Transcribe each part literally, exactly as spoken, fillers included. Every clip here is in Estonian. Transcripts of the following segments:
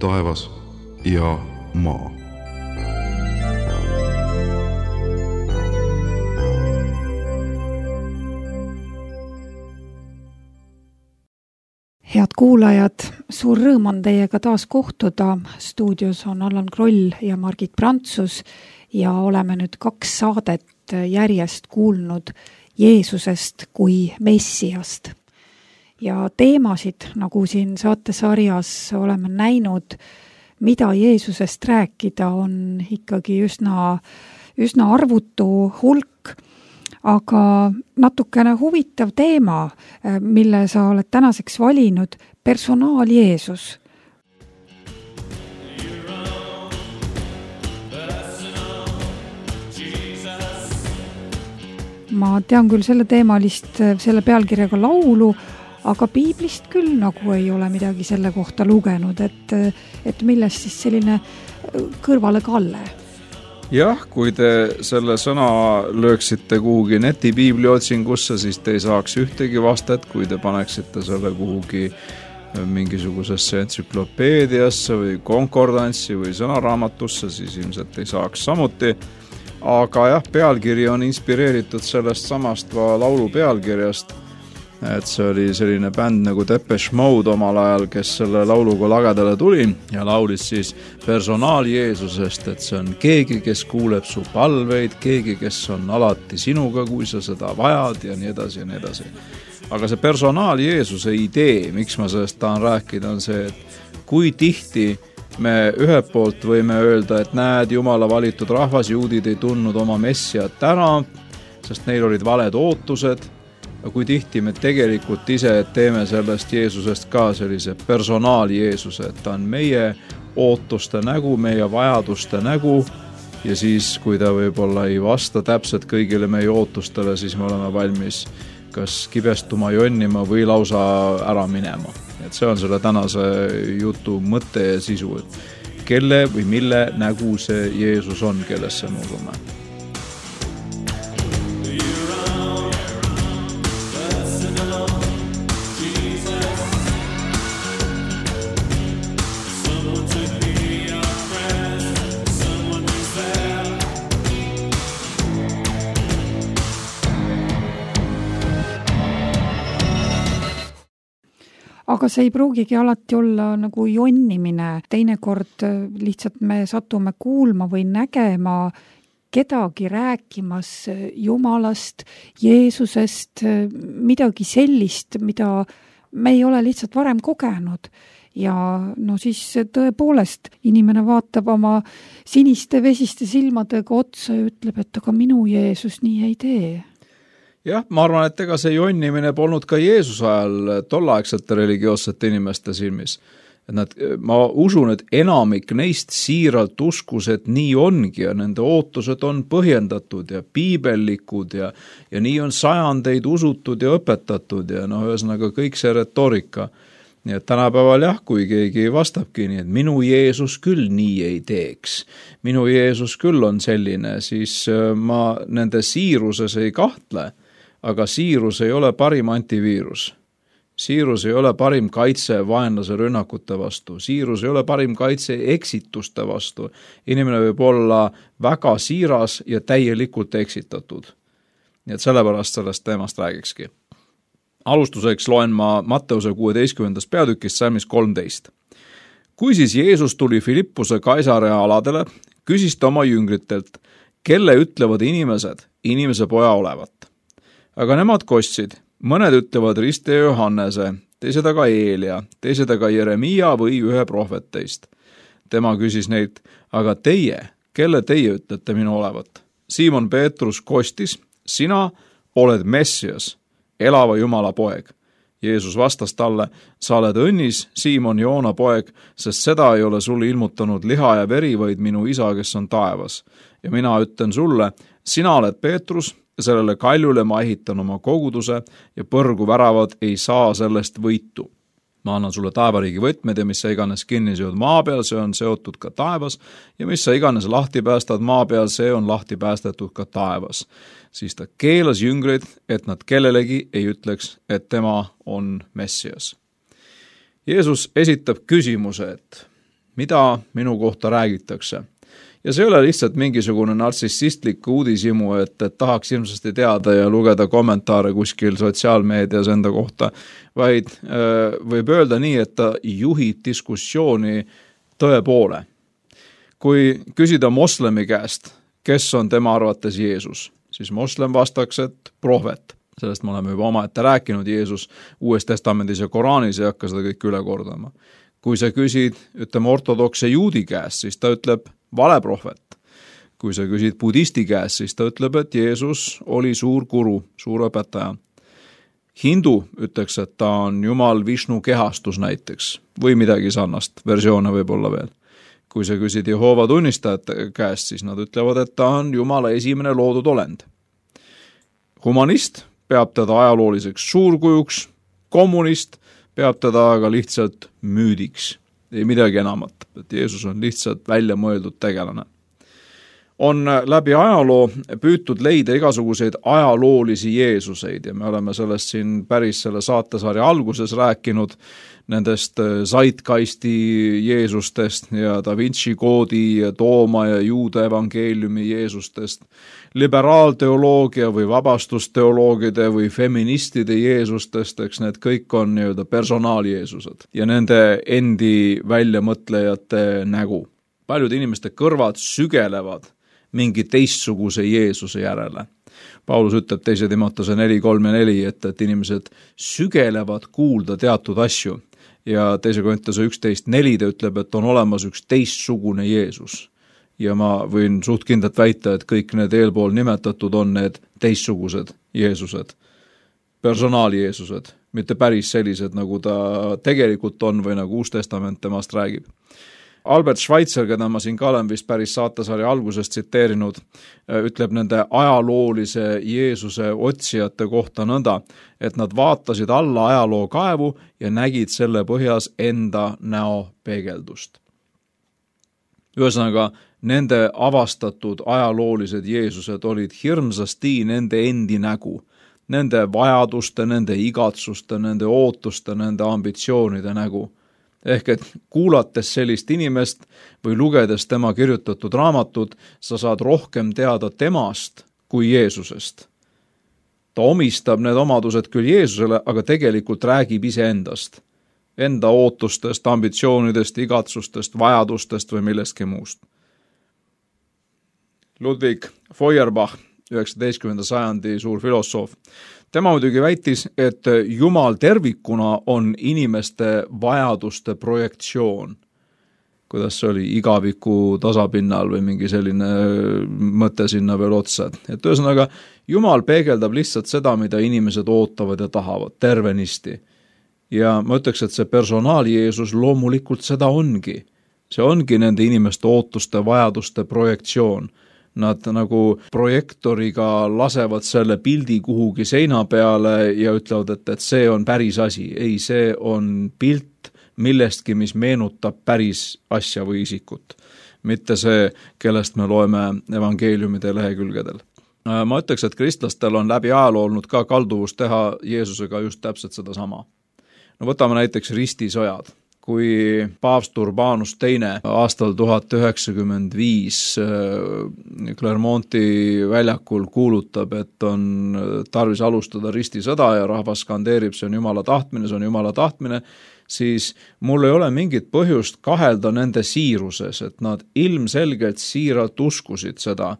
taevas ja maa. Head kuulajad, suur rõõm on teiega taas kohtuda. Stuudios on Allan Kroll ja Margit Prantsus ja oleme nüüd kaks saadet järjest kuulnud Jeesusest kui Messiast. Ja teemasid, nagu siin saatesarjas oleme näinud, mida Jeesusest rääkida, on ikkagi üsna, üsna arvutu hulk, aga natukene huvitav teema, mille sa oled tänaseks valinud, personaal Jeesus. Ma tean küll selle teemalist, selle pealkirjaga laulu, aga piiblist küll nagu ei ole midagi selle kohta lugenud, et, et millest siis selline kõrvale kalle? Jah, kui te selle sõna lööksite kuhugi netipiibli otsingusse, siis te ei saaks ühtegi vastet, kui te paneksite selle kuhugi mingisugusesse entsüklopeediasse või konkordantsi või sõnaraamatusse, siis ilmselt ei saaks samuti. Aga jah, pealkiri on inspireeritud sellest samast laulu pealkirjast, et see oli selline bänd nagu Depeche Mode omal ajal, kes selle lauluga lagedale tuli ja laulis siis personaal Jeesusest, et see on keegi, kes kuuleb su palveid, keegi, kes on alati sinuga, kui sa seda vajad ja nii edasi ja nii edasi. Aga see personaal Jeesuse idee, miks ma sellest tahan rääkida, on see, et kui tihti me ühelt poolt võime öelda, et näed, Jumala valitud rahvas, juudid ei tundnud oma messiat ära, sest neil olid valed ootused, ja kui tihti me tegelikult ise teeme sellest Jeesusest ka sellise personaal Jeesuse, et ta on meie ootuste nägu, meie vajaduste nägu, ja siis, kui ta võib-olla ei vasta täpselt kõigile meie ootustele, siis me oleme valmis kas kibestuma, jonnima või lausa ära minema. Et see on selle tänase jutu mõte ja sisu, et kelle või mille nägu see Jeesus on, kellesse me usume. Aga see ei pruugigi alati olla nagu jonnimine. Teinekord lihtsalt me satume kuulma või nägema kedagi rääkimas Jumalast, Jeesusest, midagi sellist, mida me ei ole lihtsalt varem kogenud. Ja no siis tõepoolest inimene vaatab oma siniste vesiste silmadega otsa ja ütleb, et aga minu Jeesus nii ei tee. Jah, ma arvan, et ega see jonnimine polnud ka Jeesuse ajal tolleaegsete religioossete inimeste silmis. Et nad, ma usun, et enamik neist siiralt uskus, et nii ongi ja nende ootused on põhjendatud ja piibellikud ja, ja nii on sajandeid usutud ja õpetatud ja no ühesõnaga kõik see retoorika. Nii et tänapäeval jah, kui keegi vastabki nii, et minu Jeesus küll nii ei teeks, minu Jeesus küll on selline, siis ma nende siiruses ei kahtle. Aga siirus ei ole parim antiviirus. Siirus ei ole parim kaitse vaenlase rünnakute vastu. Siirus ei ole parim kaitse eksituste vastu. Inimene võib olla väga siiras ja täielikult eksitatud. Nii et sellepärast sellest teemast räägikski. Alustuseks loen ma Matteuse kuueteistkümnendast peatükist salmis kolmteist. Kui siis Jeesus tuli Filippuse Kaisarea aladele, küsis ta oma jüngritelt, kelle ütlevad inimesed inimese poja olevat. Aga nemad kostsid, mõned ütlevad Riste Johannese, teised aga Eelia, teised aga Jeremia või ühe prohvetteist. Tema küsis neilt, aga teie, kelle teie ütlete minu olevat? Siimon Peetrus kostis, sina oled Messias, elava Jumala poeg. Jeesus vastas talle, sa oled õnnis, Siimon Joona poeg, sest seda ei ole sulle ilmutanud liha ja veri, vaid minu isa, kes on taevas. Ja mina ütlen sulle, sina oled Peetrus, sellele kaljule ma ehitan oma koguduse ja põrgu väravad ei saa sellest võitu. Ma annan sulle taevariigi võtmed ja mis sa iganes kinni seod maa peal, see on seotud ka taevas ja mis sa iganes lahti päästad maa peal, see on lahti päästetud ka taevas. Siis ta keelas jüngrid, et nad kellelegi ei ütleks, et tema on Messias. Jeesus esitab küsimuse, et mida minu kohta räägitakse. Ja see ei ole lihtsalt mingisugune nartsissistlik uudishimu, et, et tahaks ilmsesti teada ja lugeda kommentaare kuskil sotsiaalmeedias enda kohta, vaid äh, võib öelda nii, et ta juhib diskussiooni tõe poole. Kui küsida moslemi käest, kes on tema arvates Jeesus, siis moslem vastaks, et prohvet. Sellest me oleme juba omaette rääkinud, Jeesus Uues Testamendis ja Koraanis ei hakka seda kõik üle kordama. Kui sa küsid, ütleme ortodokse juudi käest, siis ta ütleb valeprohvet. Kui sa küsid budisti käest, siis ta ütleb, et Jeesus oli suur guru, suur õpetaja. Hindu ütleks, et ta on Jumal Vishnu kehastus näiteks või midagi sarnast, versioone võib olla veel. Kui sa küsid Jehoova tunnistajate käest, siis nad ütlevad, et ta on Jumala esimene loodud olend. Humanist peab teda ajalooliseks suurkujuks, kommunist peab teda aga lihtsalt müüdiks, ei midagi enamat, et Jeesus on lihtsalt välja mõeldud tegelane. On läbi ajaloo püütud leida igasuguseid ajaloolisi Jeesuseid ja me oleme sellest siin päris selle saatesarja alguses rääkinud, nendest Zeitgeisti Jeesustest ja Da Vinci koodi ja Tooma ja Juuda evangeeliumi Jeesustest, liberaalteoloogia või vabastusteoloogide või feministide Jeesustest, eks need kõik on nii-öelda personaaljeesused ja nende endi väljamõtlejate nägu. Paljud inimeste kõrvad sügelevad mingi teistsuguse Jeesuse järele. Paulus ütleb teise Timotese neli, kolm ja neli, et, et inimesed sügelevad kuulda teatud asju ja teise Korintuse üksteist neli ta ütleb, et on olemas üks teistsugune Jeesus. Ja ma võin suht kindlalt väita, et kõik need eelpool nimetatud on need teistsugused Jeesused, personaaljeesused, mitte päris sellised, nagu ta tegelikult on või nagu Uus Testament temast räägib. Albert Schweitzer, keda ma siin ka olen vist päris saatesarja algusest tsiteerinud, ütleb nende ajaloolise Jeesuse otsijate kohta nõnda, et nad vaatasid alla ajaloo kaevu ja nägid selle põhjas enda näo peegeldust. Ühesõnaga, nende avastatud ajaloolised Jeesused olid hirmsasti nende endi nägu, nende vajaduste, nende igatsuste, nende ootuste, nende ambitsioonide nägu. Ehk et kuulates sellist inimest või lugedes tema kirjutatud raamatut, sa saad rohkem teada temast kui Jeesusest. Ta omistab need omadused küll Jeesusele, aga tegelikult räägib iseendast, enda ootustest, ambitsioonidest, igatsustest, vajadustest või millestki muust. Ludwig Feuerbach, üheksateistkümnenda sajandi suur filosoof, tema muidugi väitis, et Jumal tervikuna on inimeste vajaduste projektsioon. Kuidas see oli, igaviku tasapinnal või mingi selline mõte sinna veel otsa. Et ühesõnaga, Jumal peegeldab lihtsalt seda, mida inimesed ootavad ja tahavad, tervenisti. Ja ma ütleks, et see personaal Jeesus loomulikult seda ongi. See ongi nende inimeste ootuste, vajaduste projektsioon. Nad nagu projektoriga lasevad selle pildi kuhugi seina peale ja ütlevad, et, et see on päris asi. Ei, see on pilt millestki, mis meenutab päris asja või isikut. Mitte see, kellest me loeme evangeeliumide lehekülgedel. Ma ütleks, et kristlastel on läbi ajaloo olnud ka kalduvus teha Jeesusega just täpselt seda sama. No võtame näiteks ristisõjad. Kui paavst Urbanus teine aastal tuhat üheksakümmend viis Clermonti väljakul kuulutab, et on tarvis alustada ristisõda ja rahvas skandeerib, see on Jumala tahtmine, see on Jumala tahtmine, siis mul ei ole mingit põhjust kahelda nende siiruses, et nad ilmselgelt siiralt uskusid seda,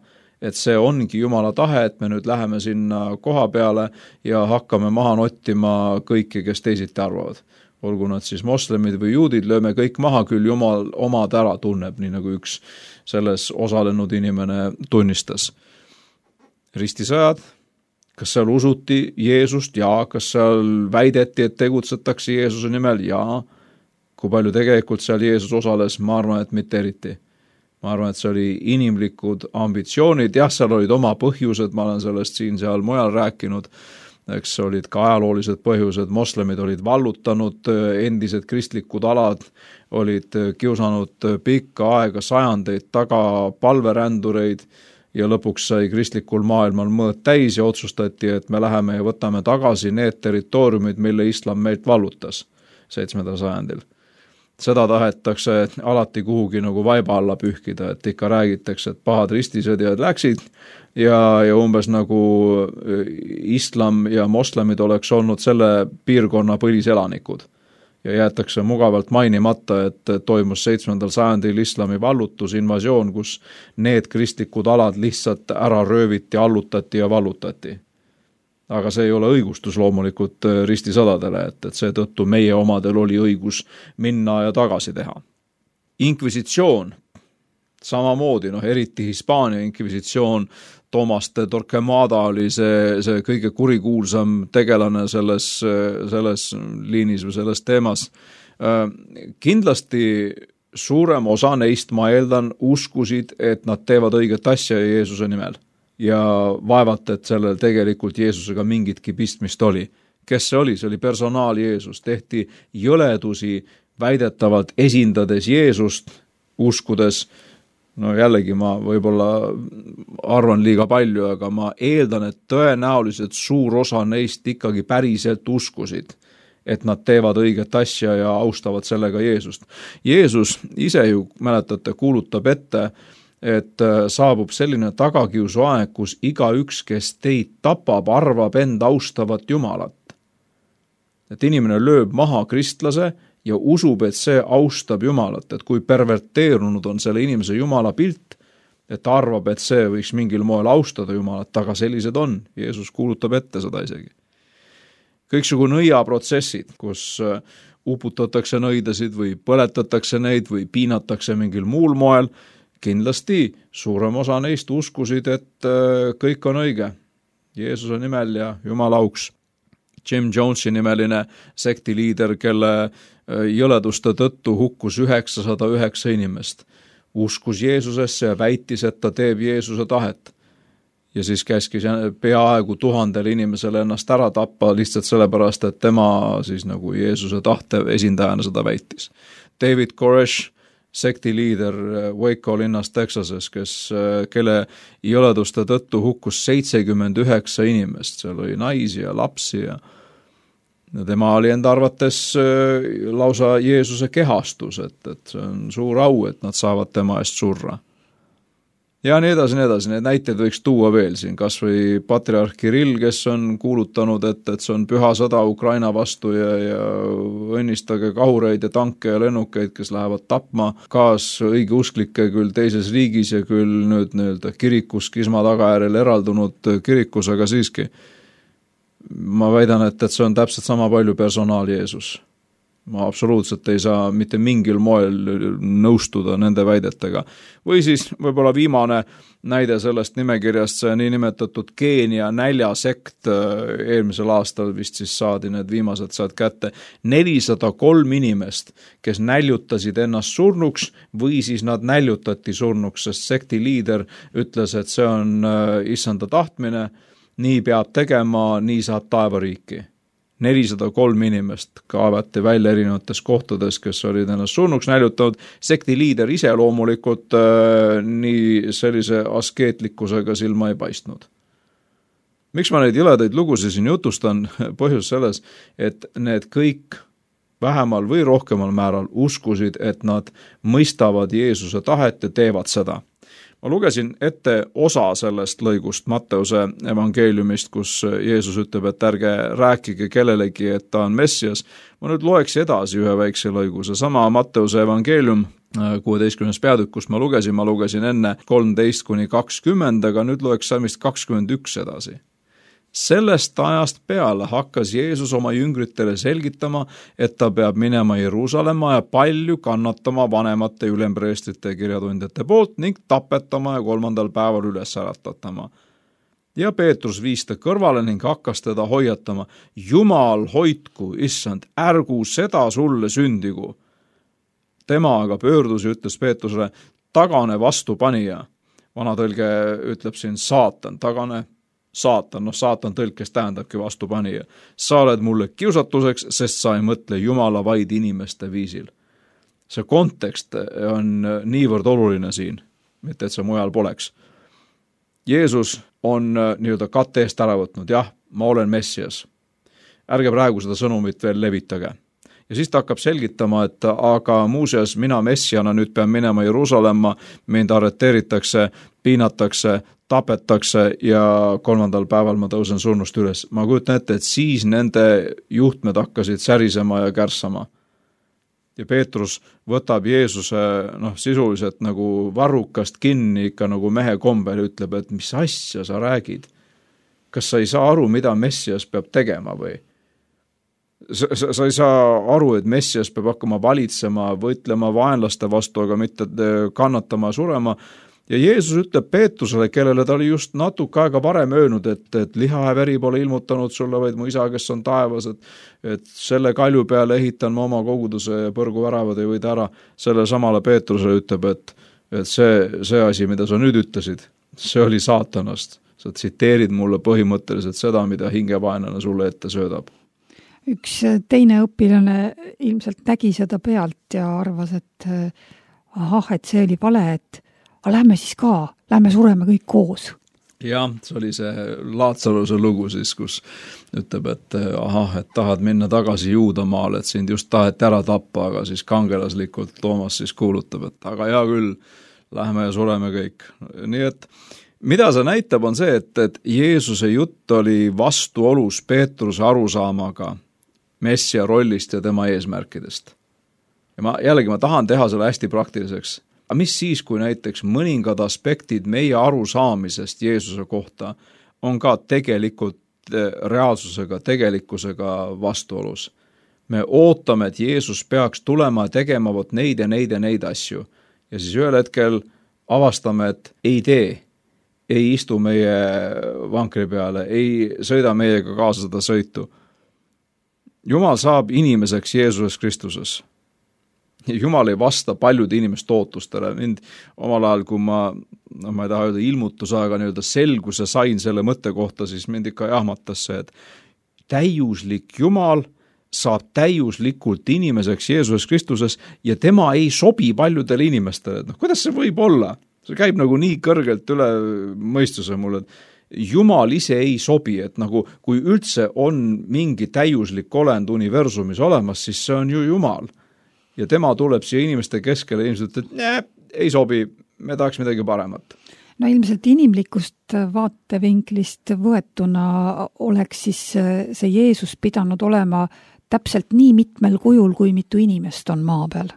et see ongi Jumala tahe, et me nüüd läheme sinna koha peale ja hakkame maha nottima kõiki, kes teisiti arvavad. Olgu nad siis moslemid või juudid, lööme kõik maha, küll Jumal omad ära tunneb, nii nagu üks selles osalenud inimene tunnistas. Ristisõjad, kas seal usuti Jeesust? Jaa. Kas seal väideti, et tegutsetakse Jeesuse nimel? Jaa. Kui palju tegelikult seal Jeesus osales? Ma arvan, et mitte eriti. Ma arvan, et see oli inimlikud ambitsioonid. Jah, seal olid oma põhjused, ma olen sellest siin seal mujal rääkinud. Eks olid ka ajaloolised põhjused, moslemid olid vallutanud endised kristlikud alad, olid kiusanud pikka aega sajandeid taga palverändureid ja lõpuks sai kristlikul maailmal mõõt täis ja otsustati, et me läheme ja võtame tagasi need territooriumid, mille islam meilt vallutas seitsmendal sajandil. seda tahetakse alati kuhugi nagu vaiba alla pühkida, et ikka räägitakse, et pahad ristisõdijad läksid ja, ja umbes nagu islam ja moslemid oleks olnud selle piirkonna põliselanikud. Ja jäetakse mugavalt mainimata, et toimus seitsmendal sajandil islami vallutus, invasioon, kus need kristlikud alad lihtsalt ära rööviti, allutati ja vallutati. Aga see ei ole õigustus loomulikult ristisõdadele, et, et seetõttu meie omadel oli õigus minna ja tagasi teha. Inkvisitsioon, samamoodi, noh, eriti Hispaania inkvisitsioon, Tomas de Torquemada oli see, see kõige kurikuulsam tegelane selles, selles liinis või selles teemas. Kindlasti suurem osa neist, ma eeldan, uskusid, et nad teevad õiget asja Jeesuse nimel. Ja vaevalt, et sellel tegelikult Jeesusega mingitki pistmist oli. Kes see oli? See oli personaal Jeesus. Tehti jõledusi väidetavalt esindades Jeesust, uskudes. No jällegi ma võib-olla arvan liiga palju, aga ma eeldan, et tõenäoliselt suur osa neist ikkagi päriselt uskusid, et nad teevad õiget asja ja austavad sellega Jeesust. Jeesus ise ju, mäletate, kuulutab ette, et saabub selline tagakiusu aeg, kus igaüks, kes teid tapab, arvab end austavat Jumalat. Et inimene lööb maha kristlase ja usub, et see austab Jumalat, et kui perverteerunud on selle inimese Jumala pilt, et ta arvab, et see võiks mingil moel austada Jumalat, aga sellised on. Jeesus kuulutab ette seda isegi. Kõiksugu nõiaprotsessid, kus uputatakse nõidasid või põletatakse neid või piinatakse mingil muul moel, kindlasti suurem osa neist uskusid, et kõik on õige Jeesuse nimel ja Jumala auks. Jim Jonesi nimeline sektiliider, kelle jõleduste tõttu hukkus üheksasada üheksa inimest, uskus Jeesusesse ja väitis, et ta teeb Jeesuse tahet. Ja siis käskis peaaegu tuhandel inimesele ennast ära tappa lihtsalt sellepärast, et tema siis nagu Jeesuse tahte esindajana seda väitis. David Koresh, sektiliider Waco linnas Texases, kes, kelle jõleduste tõttu hukkus seitsekümmend üheksa inimest, seal oli naisi ja lapsi ja tema oli enda arvates lausa Jeesuse kehastus, et, et see on suur au, et nad saavad tema eest surra. Ja nii edasi, nii edasi, need näiteid võiks tuua veel siin, kas või patriarh Kirill, kes on kuulutanud, et, et see on püha sõda Ukraina vastu ja, ja õnnistage kahureid ja tanke ja lennukeid, kes lähevad tapma kaas õigeusklikke küll teises riigis ja küll nüüd nii-öelda kirikus kisma tagajärjel eraldunud kirikus, aga siiski ma väidan, et, et see on täpselt sama palju personaal Jeesus. Ma absoluutselt ei saa mitte mingil moel nõustuda nende väidetega. Või siis võib-olla viimane näide sellest nimekirjast, see niinimetatud Keenia näljasekt eelmisel aastal vist siis saadi need viimased sealt kätte. nelisada kolm inimest, kes näljutasid ennast surnuks või siis nad näljutati surnuks, sest sekti liider ütles, et see on issanda tahtmine, nii peab tegema, nii saab taevariiki. nelisada kolm inimest kaevati välja erinevates kohtades, kes olid ennast surnuks näljutanud. Sekti liider ise loomulikult äh, nii sellise askeetlikkusega silma ei paistnud. Miks ma neid jõledaid lugusid siin jutustan? Põhjus selles, et need kõik vähemal või rohkemal määral uskusid, et nad mõistavad Jeesuse tahet ja teevad seda. Ma lugesin ette osa sellest lõigust Matteuse evangeeliumist, kus Jeesus ütleb, et ärge rääkige kellelegi, et ta on Messias. Ma nüüd loeks edasi ühe väikse lõigu. See sama Matteuse evangeelium kuueteistkümnes peatükk, kus ma lugesin, ma lugesin enne kolmteist kuni kakskümmend, aga nüüd loeks salmist kakskümmend üks edasi. Sellest ajast peale hakkas Jeesus oma jüngritele selgitama, et ta peab minema Jeruusalemma ja palju kannatama vanemate ülempreestrite ja kirjatundjate poolt ning tapetama ja kolmandal päeval üles äratatama. Ja Peetrus viis ta kõrvale ning hakkas teda hoiatama. Jumal hoidku, issand, ärgu seda sulle sündigu. Tema aga pöördus ja ütles Peetrusele, tagane vastupanija. Vanatõlge ütleb siin saatan, tagane saatan, noh saatan tõlkes tähendabki vastupanija. Sa oled mulle kiusatuseks, sest sa ei mõtle Jumala vaid inimeste viisil. See kontekst on niivõrd oluline siin, mitte et see mujal poleks. Jeesus on nii-öelda katte eest ära võtnud, jah, ma olen Messias. Ärge praegu seda sõnumit veel levitage. Ja siis ta hakkab selgitama, et aga muuseas mina messiana nüüd pean minema Jeruusalemma, mind arreteeritakse, piinatakse, tapetakse ja kolmandal päeval ma tõusen surnust üles. Ma kujutan ette, et siis nende juhtmed hakkasid särisema ja kärssama. Ja Peetrus võtab Jeesuse noh, sisuliselt nagu varrukast kinni ikka nagu mehe kombel, ütleb, et mis asja sa räägid? Kas sa ei saa aru, mida Messias peab tegema või? Sa, sa, sa ei saa aru, et Messias peab hakkama valitsema, võitlema vaenlaste vastu, aga mitte kannatama ja surema. Ja Jeesus ütleb Peetrusele, kellele ta oli just natuke aega varem öelnud, et, et liha ja veri pole ilmutanud sulle, vaid mu isa, kes on taevas, et, et selle kalju peale ehitan ma oma koguduse ja põrgu väravad ei võida ära. Selle samale Peetrusele ütleb, et, et see, see asi, mida sa nüüd ütlesid, see oli saatanast. Sa tsiteerid mulle põhimõtteliselt seda, mida hingevaenlane sulle ette söödab. Üks teine õpilane ilmselt nägi seda pealt ja arvas, et ahah, et see oli vale, et aga lähme siis ka, lähme sureme kõik koos. Jah, see oli see Laatsaruse lugu siis, kus ütleb, et ahah, et tahad minna tagasi Juudamaale, et sind just taheti ära tappa, aga siis kangelaslikult Toomas siis kuulutab, et aga hea küll, lähme ja sureme kõik. Nii et mida see näitab on see, et, et Jeesuse jutt oli vastuolus Peetruse arusaamaga Messia rollist ja tema eesmärkidest. Ja ma, jällegi ma tahan teha selle hästi praktiliseks. Aga mis siis, kui näiteks mõningad aspektid meie arusaamisest Jeesuse kohta on ka tegelikult reaalsusega, tegelikkusega vastuolus? Me ootame, et Jeesus peaks tulema ja tegema vot neid ja neid ja neid asju. Ja siis ühel hetkel avastame, et ei tee, ei istu meie vankri peale, ei sõida meiega kaasa seda sõitu. Jumal saab inimeseks Jeesuses Kristuses. Jumal ei vasta paljude inimeste ootustele. Mind omal ajal, kui ma, no ma ei taha öelda ilmutuse, aga nii-öelda selguse sain selle mõtte kohta, siis mind ikka jahmatas see, et täiuslik Jumal saab täiuslikult inimeseks Jeesuses Kristuses ja tema ei sobi paljudele inimestele. No, kuidas see võib olla? See käib nagu nii kõrgelt üle mõistuse mulle, et Jumal ise ei sobi, et nagu kui üldse on mingi täiuslik olend universumis olemas, siis see on ju Jumal. Ja tema tuleb siia inimeste keskele ilmselt, et nee, ei sobi, me tahaks midagi paremat. No ilmselt inimlikust vaatevinklist võetuna oleks siis see Jeesus pidanud olema täpselt nii mitmel kujul, kui mitu inimest on maa peal.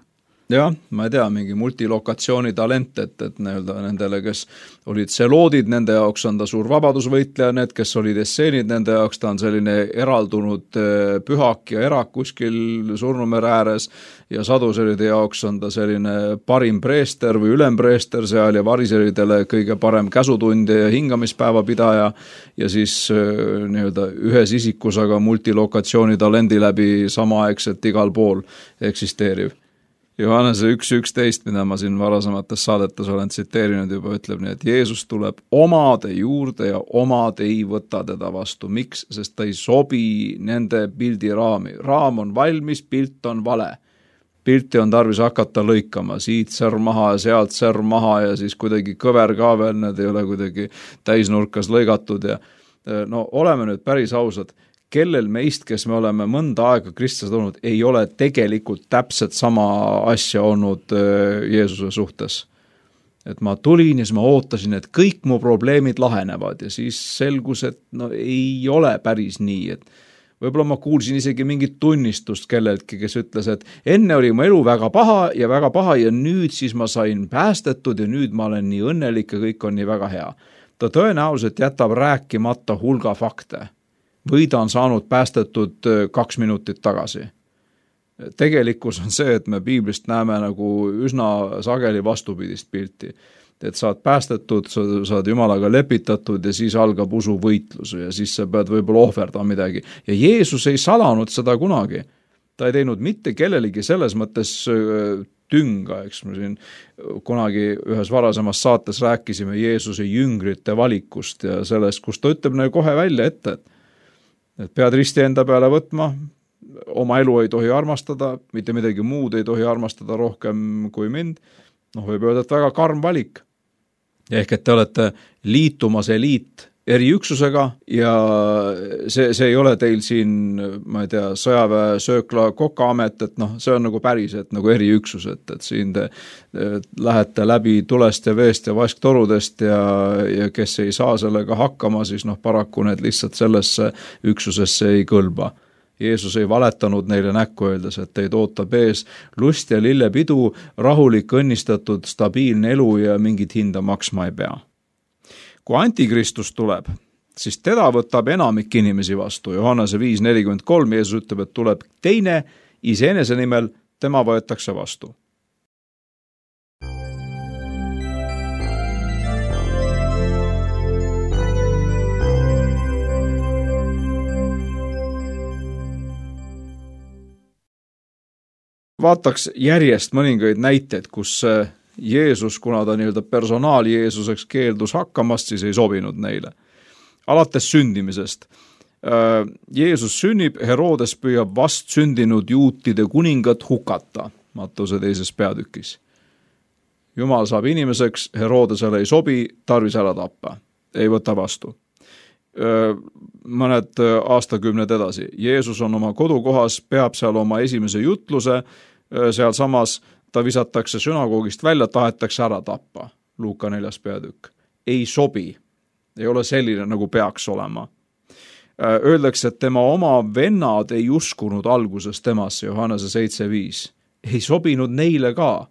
Jah, ma ei tea, mingi multilokatsiooni talent, et, et nendele, kes olid seloodid, nende jaoks on ta suur vabadusvõitleja, need, kes olid esseenid, nende jaoks ta on selline eraldunud pühak ja erak kuskil Surnumere ääres ja saduseride jaoks on ta selline parim preester või ülempreester seal ja variseridele kõige parem käsutundja ja hingamispäeva pidaja ja siis nii-öelda ühes isikus, aga multilokatsiooni talendi läbi samaaegselt igal pool eksisteeriv. Johannese üks üksteist, mida ma siin varasemates saadetes olen tsiteerinud juba, ütleb nii, et Jeesus tuleb omade juurde ja omad ei võta teda vastu. Miks? Sest ta ei sobi nende pildi raami. Raam on valmis, pilt on vale. Pilti on tarvis hakata lõikama, siit särm maha ja sealt särm maha ja siis kuidagi kõver ka veel, need ei ole kuidagi täisnurkas lõigatud ja no oleme nüüd päris ausad. Kellel meist, kes me oleme mõnda aega Kristus olnud, ei ole tegelikult täpselt sama asja olnud Jeesuse suhtes. Et ma tulin ja siis ma ootasin, et kõik mu probleemid lahenevad ja siis selgus, et no ei ole päris nii, et võib-olla ma kuulsin isegi mingit tunnistust kelleltki, kes ütles, et enne oli mu elu väga paha ja väga paha ja nüüd siis ma sain päästetud ja nüüd ma olen nii õnnelik ja kõik on nii väga hea. Ta tõenäoliselt jätab rääkimata hulga fakte. Või ta on saanud päästetud kaks minutit tagasi. Tegelikkus on see, et me piiblist näeme nagu üsna sageli vastupidist pilti. Et saad päästetud, saad Jumalaga lepitatud ja siis algab usuvõitlus ja siis sa pead võib-olla ohverdama midagi. Ja Jeesus ei salanud seda kunagi. Ta ei teinud mitte kellelegi selles mõttes tünga, eks me siin kunagi ühes varasemas saates rääkisime Jeesuse jüngrite valikust ja sellest, kus ta ütleb neile kohe välja ette, et et pead risti enda peale võtma, oma elu ei tohi armastada, mitte midagi muud ei tohi armastada rohkem kui mind, noh võib öelda, et väga karm valik. Ehk et te olete liitumas eliit eriüksusega ja see, see ei ole teil siin, ma ei tea, sõjaväe söökla kokaamet, et noh, see on nagu päris, et nagu eriüksus, et, et siin te lähete läbi tulest ja veest ja vasktorudest ja, ja kes ei saa sellega hakkama, siis noh, paraku need lihtsalt sellesse üksusesse ei kõlba. Jeesus ei valetanud neile näkku öeldes, et teid ootab ees lust ja lillepidu, rahulik, õnnistatud, stabiilne elu ja mingit hinda maksma ei pea. Kui antikristus tuleb, siis teda võtab enamik inimesi vastu. Johannese viis nelikümmend kolm Jeesus ütleb, et tuleb teine iseenese nimel, tema võetakse vastu. Vaataks järjest mõningaid näiteid, kus Jeesus, kuna ta nii-öelda personaal Jeesuseks keeldus hakkamast, siis ei sobinud neile. Alates sündimisest. Jeesus sünnib, Herodes püüab vast sündinud juutide kuningat hukata, Mattuse teises peatükis. Jumal saab inimeseks, Herodesele ei sobi, tarvis ära tappa, ei võta vastu. Mõned aastakümned edasi. Jeesus on oma kodukohas, peab seal oma esimese jutluse, seal samas ta visatakse sünagoogist välja, tahetakse ära tappa. Luuka neljas peatükk. Ei sobi. Ei ole selline, nagu peaks olema. Öeldakse, et tema oma vennad ei uskunud alguses temasse, Johannese seitse viis. Ei sobinud neile ka.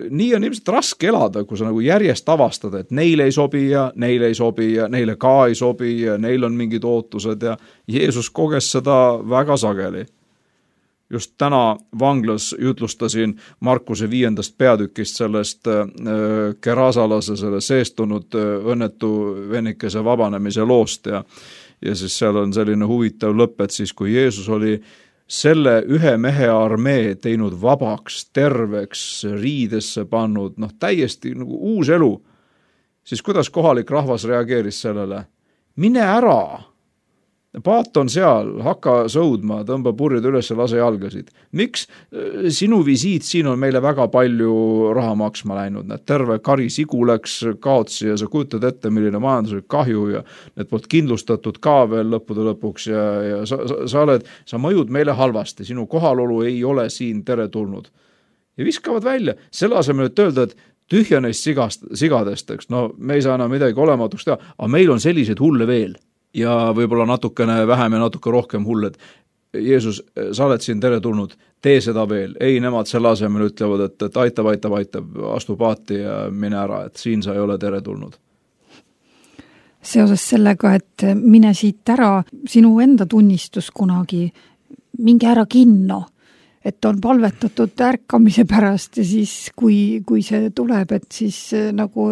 Nii on ilmselt raske elada, kui sa nagu järjest avastad, et neile ei sobi ja neile ei sobi ja neile ka ei sobi ja neil on mingid ootused ja Jeesus koges seda väga sageli. Just täna vanglas jutlustasin Markuse viiendast peatükist sellest kerasalase, selle seestunud õnnetu vennikese vabanemise loost ja, ja siis seal on selline huvitav lõpp, et siis kui Jeesus oli selle ühe mehe armee teinud vabaks, terveks, riidesse pannud, noh täiesti nagu uus elu, siis kuidas kohalik rahvas reageeris sellele? Mine ära! Paat on seal, hakka sõudma, tõmba purjed üles ja lase jalgasid. Miks sinu visiit siin on meile väga palju raha maksma läinud? Need terve kari sigu läks kaotsi ja sa kujutad ette, milline majanduslik kahju ja need poolt kindlustatud ka veel lõppude lõpuks ja, ja sa, sa, sa, oled, sa mõjud meile halvasti, sinu kohalolu ei ole siin teretulnud. Ja viskavad välja, selle asemel, et öelda, et tühja neist sigast, sigadest, eks, no me ei saa enam midagi olematuks teha, aga meil on sellised hulle veel. Ja võib-olla natukene vähem ja natuke rohkem hulled. Jeesus, sa oled siin teretulnud, tee seda veel. Ei, nemad selle asemel ütlevad, et, et aitab, aitab, aitab, astu paati ja mine ära, et siin sa ei ole teretulnud. Seoses sellega, et mine siit ära, sinu enda tunnistus kunagi, minge ära kinno, et on palvetatud ärkamise pärast ja siis, kui, kui see tuleb, et siis nagu,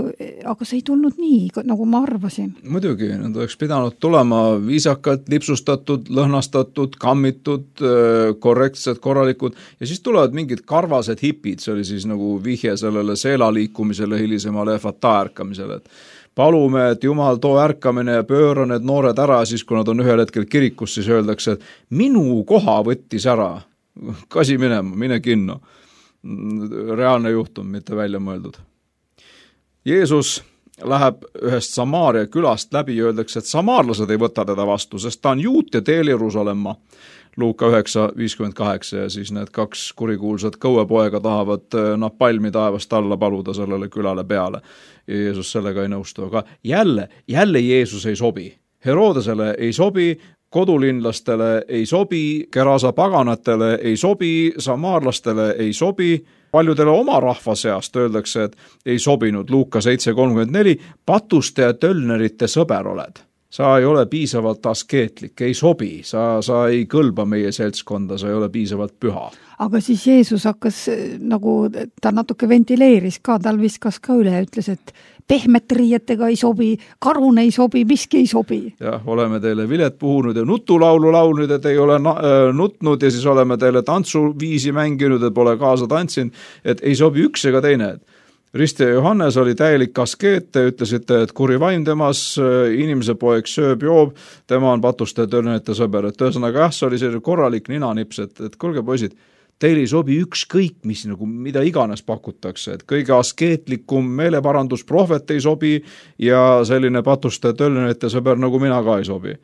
aga see ei tulnud nii, nagu ma arvasin. Muidugi, nad oleks pidanud tulema viisakalt, lipsustatud, lõhnastatud, kammitud, korrektsed, korralikud ja siis tulevad mingid karvased hipid, see oli siis nagu vihje sellele seelaliikumisele, hilisemale fata ärkamisele, et palume, et Jumal too ärkamine ja pööra need noored ära, siis kui nad on ühel hetkel kirikus, siis öeldakse, et minu koha võttis ära. Kasi minema, mine kinno. Reaalne juhtum, mitte välja mõeldud. Jeesus läheb ühest Samaaria külast läbi ja öeldakse, et samaarlased ei võta teda vastu, sest ta on juut ja teel Jeruusalemma. Luuka üheksa viiskümmend kaheksa ja siis need kaks kurikuulsat kõuepoega tahavad napalmi taevast alla paluda sellele külale peale. Ja Jeesus sellega ei nõustu, aga jälle, jälle Jeesus ei sobi. Herodesele ei sobi, kodulinlastele ei sobi, Kerasa paganatele ei sobi, samaarlastele ei sobi, paljudele oma rahva seast öeldakse, et ei sobinud. Luuka seitse kolmkümmend neli, patuste ja tölnerite sõber oled. Sa ei ole piisavalt askeetlik, ei sobi, sa, sa ei kõlba meie seltskonda, sa ei ole piisavalt püha. Aga siis Jeesus hakkas nagu, ta natuke ventileeris ka, tal viskas ka üle ja ütles, et pehmet riietega ei sobi, karun ei sobi, miski ei sobi. Jah, oleme teile vilet puhunud ja nutulaulu laulnud, et ei ole nutnud ja siis oleme teile tantsuviisi mänginud, et pole kaasa tantsinud, et ei sobi üks ega teine. Risti ja Johannes oli täielik askeet, te ütlesite, et kuri vaim temas, inimese poeg sööb, joob, tema on patuste ja tölnerite sõber. Et ühesõnaga jah, see oli selline korralik ninanips, et, et kuulge poisid, teil ei sobi ükskõik, mis nagu, mida iganes pakutakse, et kõige askeetlikum meeleparandusprohvet ei sobi ja selline patuste tölnete sõber nagu mina ka ei sobi.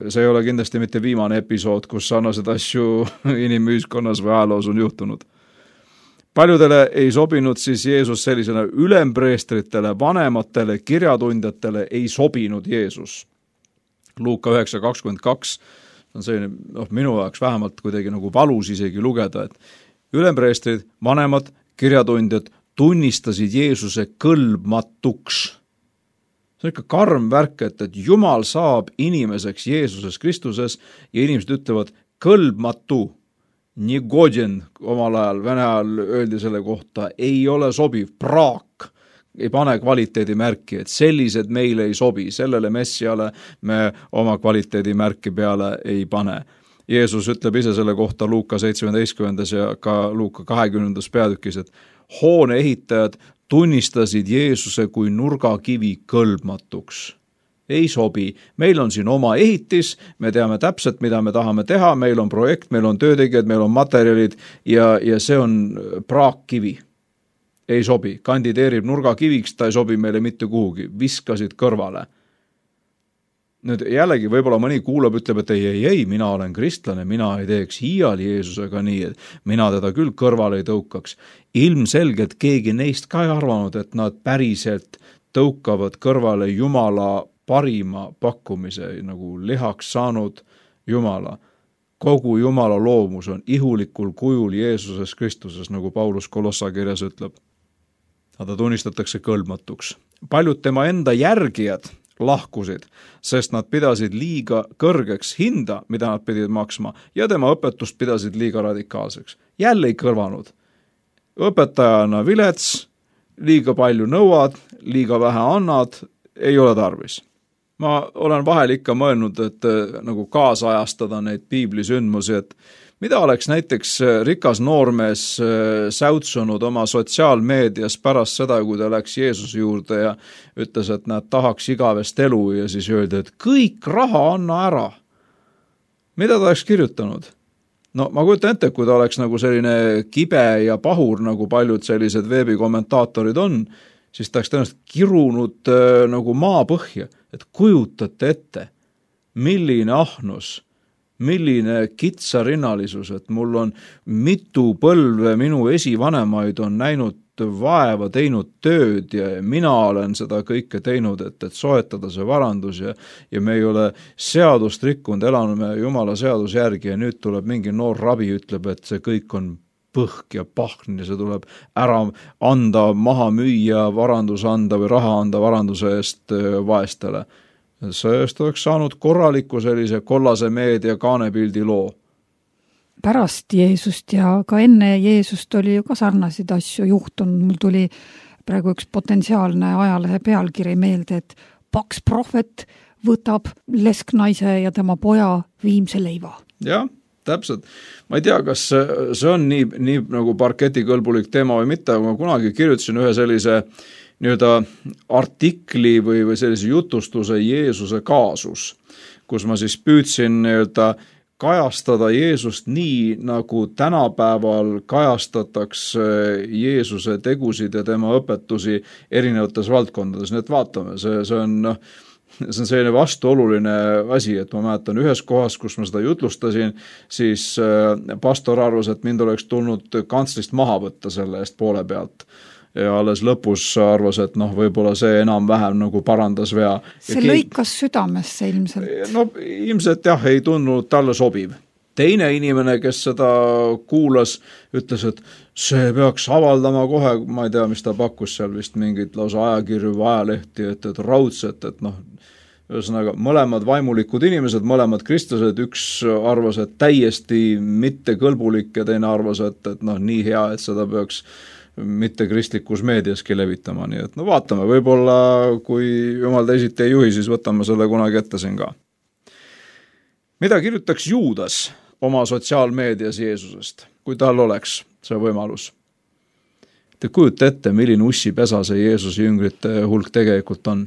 See ei ole kindlasti mitte viimane episood, kus sarnased asju inimühiskonnas või ajaloos on juhtunud. Paljudele ei sobinud siis Jeesus sellisena ülempreestritele, vanematele, kirjatundjatele ei sobinud Jeesus. Luuka üheksa kakskümmend kaks on selline, noh, minu jaoks vähemalt kuidagi nagu valus isegi lugeda, et ülempreestrid, vanemad, kirjatundjad tunnistasid Jeesuse kõlbmatuks. See on ikka karm värk, et, et Jumal saab inimeseks Jeesuses Kristuses ja inimesed ütlevad kõlbmatu, nigodjen omal ajal, vene ajal öeldi selle kohta, ei ole sobiv, praak, ei pane kvaliteedimärki, et sellised meile ei sobi, sellele messiale me oma kvaliteedimärki peale ei pane. Jeesus ütleb ise selle kohta Luuka seitsmeteistkümnendas ja ka Luuka kahekümnendas peatükis, et hoone ehitajad tunnistasid Jeesuse kui nurgakivi kõlbmatuks. Ei sobi. Meil on siin oma ehitis, me teame täpselt, mida me tahame teha, meil on projekt, meil on töötegijad, meil on materjalid ja, ja see on praakkivi. Ei sobi, kandideerib nurgakiviks, ta ei sobi meile mitte kuhugi, viskasid kõrvale. Nüüd jällegi võib-olla mõni kuulab, ütleb, et ei, ei, ei, mina olen kristlane, mina ei teeks hiiali Jeesusega nii, et mina teda küll kõrvale ei tõukaks. Ilmselgelt keegi neist ka ei arvanud, et nad päriselt tõukavad kõrvale Jumala parima pakkumise, nagu lihaks saanud Jumala. Kogu Jumala loomus on ihulikul kujul Jeesuses Kristuses, nagu Paulus Kolossa kirjas ütleb. Ta tunnistatakse kõlbmatuks. Paljud tema enda järgijad lahkusid, sest nad pidasid liiga kõrgeks hinda, mida nad pidid maksma, ja tema õpetust pidasid liiga radikaalseks. Jälle ei kõrvanud. Õpetajana vilets, liiga palju nõuad, liiga vähe annad, ei ole tarvis. Ma olen vahel ikka mõelnud, et nagu kaasajastada neid piiblisündmusi, et mida oleks näiteks rikas noormees säutsunud oma sotsiaalmeedias pärast seda, kui ta läks Jeesuse juurde ja ütles, et nad tahaks igavest elu ja siis öeldi, et kõik raha anna ära. Mida ta oleks kirjutanud? No ma kujutan ette, kui ta oleks nagu selline kibe ja pahur, nagu paljud sellised veebikommentaatorid on, siis ta oleks tõenäoliselt kirunud äh, nagu maapõhja, et kujutate ette, milline ahnus, milline kitsarinnalisus, et mul on mitu põlve minu esivanemaid on näinud vaeva, teinud tööd ja mina olen seda kõike teinud, et, et soetada see varandus ja, ja me ei ole seadust rikkunud, elame Jumala seaduse järgi ja nüüd tuleb mingi noor rabi, ütleb, et see kõik on põhk ja pahn ja see tuleb ära anda, maha müüa, varandus anda või raha anda varanduse eest vaestele. Sellest oleks saanud korraliku sellise kollase meedia kaanepildi loo. Pärast Jeesust ja ka enne Jeesust oli ju ka sarnasid asju juhtunud. Mul tuli praegu üks potentsiaalne ajalehe pealkiri meelde, et paks prohvet võtab lesknaise ja tema poja viimse leiva. Jah, täpselt. Ma ei tea, kas see on nii, nii nagu parketikõlbulik teema või mitte, aga ma kunagi kirjutasin ühe sellise nii-öelda artikli või, või sellise jutustuse Jeesuse kaasus, kus ma siis püüdsin nii-öelda kajastada Jeesust nii, nagu tänapäeval kajastatakse Jeesuse tegusid ja tema õpetusi erinevates valdkondades. Nii et vaatame, see, see on noh, see on selline vastuoluline asi, et ma mäletan ühes kohas, kus ma seda jutlustasin, siis pastor arvas, et mind oleks tulnud kantslist maha võtta selle eest poole pealt. Ja alles lõpus arvas, et noh, võib-olla see enam-vähem nagu parandas vea. See keegi... lõikas südamesse ilmselt. No ilmselt jah, ei tundunud talle sobiv. Teine inimene, kes seda kuulas, ütles, et see peaks avaldama kohe, ma ei tea, mis ta pakkus seal vist mingit lausa ajakirju või ajalehti, et, et raudset, et noh, ühesõnaga mõlemad vaimulikud inimesed, mõlemad kristlased, üks arvas, et täiesti mitte kõlbulik ja teine arvas, et, et noh, nii hea, et seda peaks mitte kristlikus meediaski levitama, nii et no vaatame, võib-olla kui jumal teisiti ei juhi, siis võtame selle kunagi ette siin ka. Mida kirjutaks Juudas oma sotsiaalmeedias Jeesusest, kui tal oleks see võimalus? Te kujuta ette, milline ussipesa see Jeesuse jüngrite hulk tegelikult on.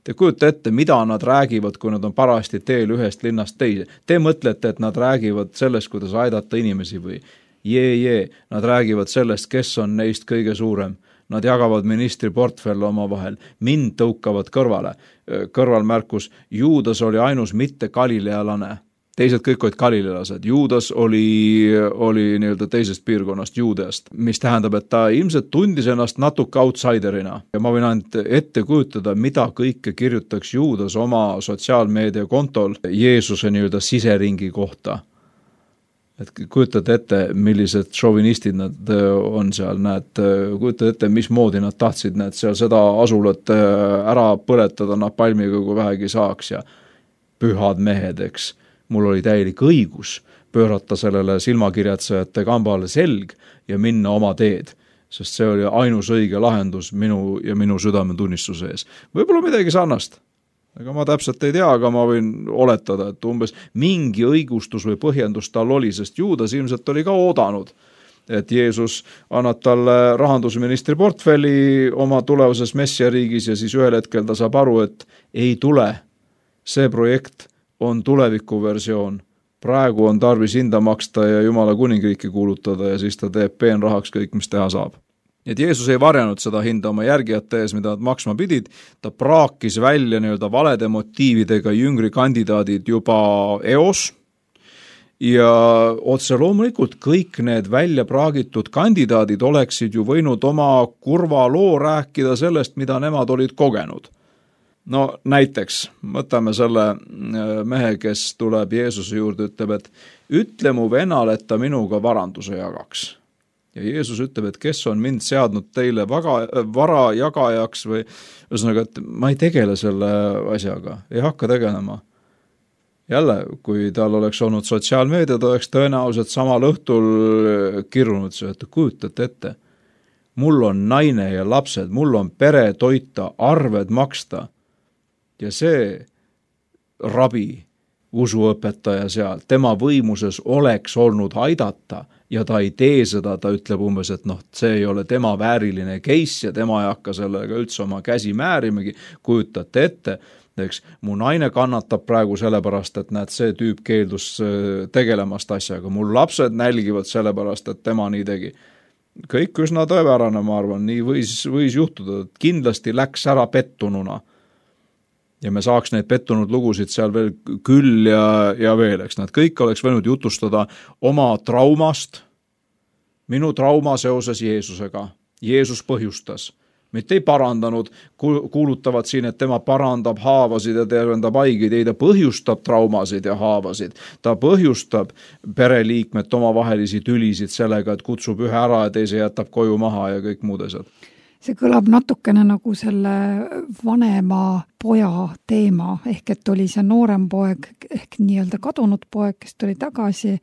Te kujuta ette, mida nad räägivad, kui nad on parajasti teel ühest linnast teise. Te mõtlete, et nad räägivad sellest, kuidas aidata inimesi või jee, jee, nad räägivad sellest, kes on neist kõige suurem. Nad jagavad ministri portfelle oma vahel, mind tõukavad kõrvale. Kõrvalmärkus, Juudas oli ainus mitte galilealane. Teised kõik olid galilealased. Juudas oli, oli nii-öelda teisest piirkonnast, Juudeast, mis tähendab, et ta ilmselt tundis ennast natuke outsiderina. Ja ma võin ainult ette kujutada, mida kõike kirjutaks Juudas oma sotsiaalmeedia kontol Jeesuse nii-öelda siseringi kohta. Et kujutad ette, millised šovinistid nad on seal, näed, kujutad ette, mismoodi nad tahtsid näed, seal seda asulat ära põletada napalmiga, kui vähegi saaks ja pühad mehed, eks. Mul oli täielik õigus pöörata sellele silmakirjatsejate kambale selg ja minna oma teed, sest see oli ainus õige lahendus minu ja minu südametunnistuse ees. Võib-olla midagi sarnast. Aga ma täpselt ei tea, aga ma võin oletada, et umbes mingi õigustus või põhjendus tal oli, sest Juudas ilmselt oli ka oodanud, et Jeesus annab talle rahandusministri portfelli oma tulevases messiariigis ja siis ühel hetkel ta saab aru, et ei tule. See projekt on tuleviku versioon. Praegu on tarvis hinda maksta ja Jumala kuningriiki kuulutada ja siis ta teeb peenrahaks kõik, mis teha saab. Et Jeesus ei varjanud seda hinda oma järgijate ees, mida nad maksma pidid, ta praakis välja nii-öelda valede motiividega jüngri kandidaadid juba eos ja otse loomulikult kõik need välja praagitud kandidaadid oleksid ju võinud oma kurva loo rääkida sellest, mida nemad olid kogenud. No näiteks, võtame selle mehe, kes tuleb Jeesuse juurde, ütleb, et ütle mu venal, et ta minuga varanduse jagaks. Ja Jeesus ütleb, et kes on mind seadnud teile vaga, vara jagajaks või ühesõnaga, et ma ei tegele selle asjaga, ei hakka tegelema. Jälle, kui tal oleks olnud sotsiaalmeedia, ta oleks tõenäoliselt samal õhtul kirrunud see, et kujutate ette. Mul on naine ja lapsed, mul on pere toita, arved maksta ja see rabi usuõpetaja seal, tema võimuses oleks olnud aidata ja ta ei tee seda, ta ütleb umbes, et noh, see ei ole tema vääriline case ja tema ei hakka sellega üldse oma käsi määrimegi, kujutate ette, eks, mu naine kannatab praegu sellepärast, et näed, see tüüp keeldus tegelemast asjaga, mul lapsed nälgivad sellepärast, et tema nii tegi. Kõik üsna tõepärane, ma arvan, nii võis, võis juhtuda, et kindlasti läks ära pettununa. Ja me saaks neid pettunud lugusid seal veel küll ja, ja veel, eks nad kõik oleks võinud jutustada oma traumast, minu trauma seoses Jeesusega. Jeesus põhjustas, mitte ei parandanud, kuulutavad siin, et tema parandab haavasid ja tervendab haigeid, ei ta põhjustab traumasid ja haavasid. Ta põhjustab pereliikmed omavahelisi tülisid sellega, et kutsub ühe ära ja teise jätab koju maha ja kõik muud asjad. See kõlab natukene nagu selle vanema poja teema, ehk et oli see noorem poeg, ehk nii-öelda kadunud poeg, kes tuli tagasi,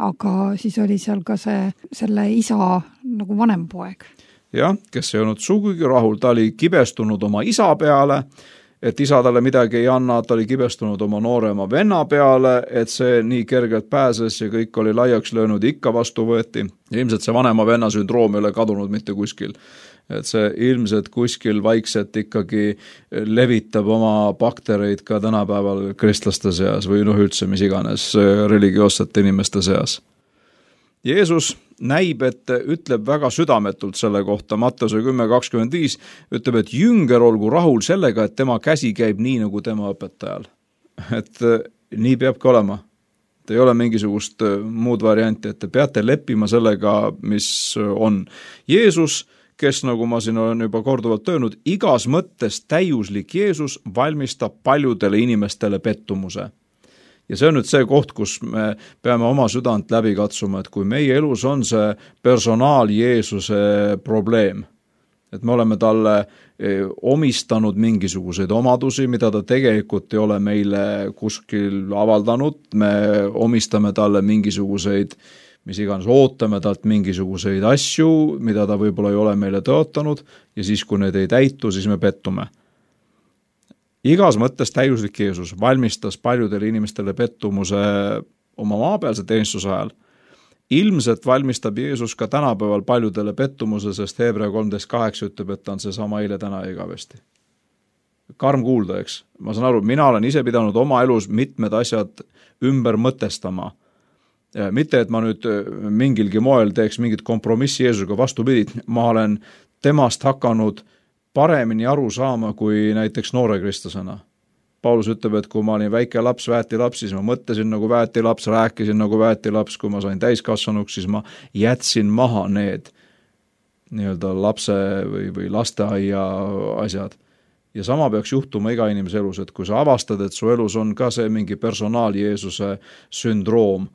aga siis oli seal ka see, selle isa nagu vanem poeg. Jah, kes ei olnud sugugi rahul, ta oli kibestunud oma isa peale, et isa talle midagi ei anna, ta oli kibestunud oma noorema venna peale, et see nii kergelt pääses ja kõik oli laiaks löönud, ikka vastu võeti. Ja ilmselt see vanema venna sündroom ei ole kadunud mitte kuskil. Et see ilmselt kuskil vaikselt ikkagi levitab oma baktereid ka tänapäeval kristlaste seas või noh üldse mis iganes religioossete inimeste seas. Jeesus näib, et ütleb väga südametult selle kohta, Matteuse kümme kakskümmend viis ütleb, et jünger olgu rahul sellega, et tema käsi käib nii nagu tema õpetajal. Et nii peabki olema. Et ei ole mingisugust muud varianti, et te peate leppima sellega, mis on. Jeesus, kes, nagu ma siin olen juba korduvalt öelnud, igas mõttes täiuslik Jeesus valmistab paljudele inimestele pettumuse. Ja see on nüüd see koht, kus me peame oma südant läbi katsuma, et kui meie elus on see personaal Jeesuse probleem, et me oleme talle omistanud mingisuguseid omadusi, mida ta tegelikult ei ole meile kuskil avaldanud, me omistame talle mingisuguseid mis iganes ootame talt mingisuguseid asju, mida ta võib-olla ei ole meile tõotanud ja siis, kui need ei täitu, siis me pettume. Igas mõttes täiuslik Jeesus valmistas paljudele inimestele pettumuse oma maapealse teenistuse ajal. Ilmselt valmistab Jeesus ka tänapäeval paljudele pettumuse, sest Hebra kolmteist kaheksa ütleb, et ta on see sama eile täna ja igavesti. Karm kuulda, eks. Ma saan aru, mina olen ise pidanud oma elus mitmed asjad ümber mõtestama. mitte, et ma nüüd mingilgi moel teeks mingit kompromissi Jeesusega, vastupidi, ma olen temast hakanud paremini aru saama kui näiteks noore kristlasena. Paulus ütleb, et kui ma olin väike laps, väetilaps, siis ma mõtlesin nagu väetilaps, rääkisin nagu väetilaps, kui ma sain täiskasvanuks, siis ma jätsin maha need nii-öelda lapse või, või lasteaia asjad. Ja sama peaks juhtuma iga inimese elus, et kui sa avastad, et su elus on ka see mingi personaal Jeesuse sündroom,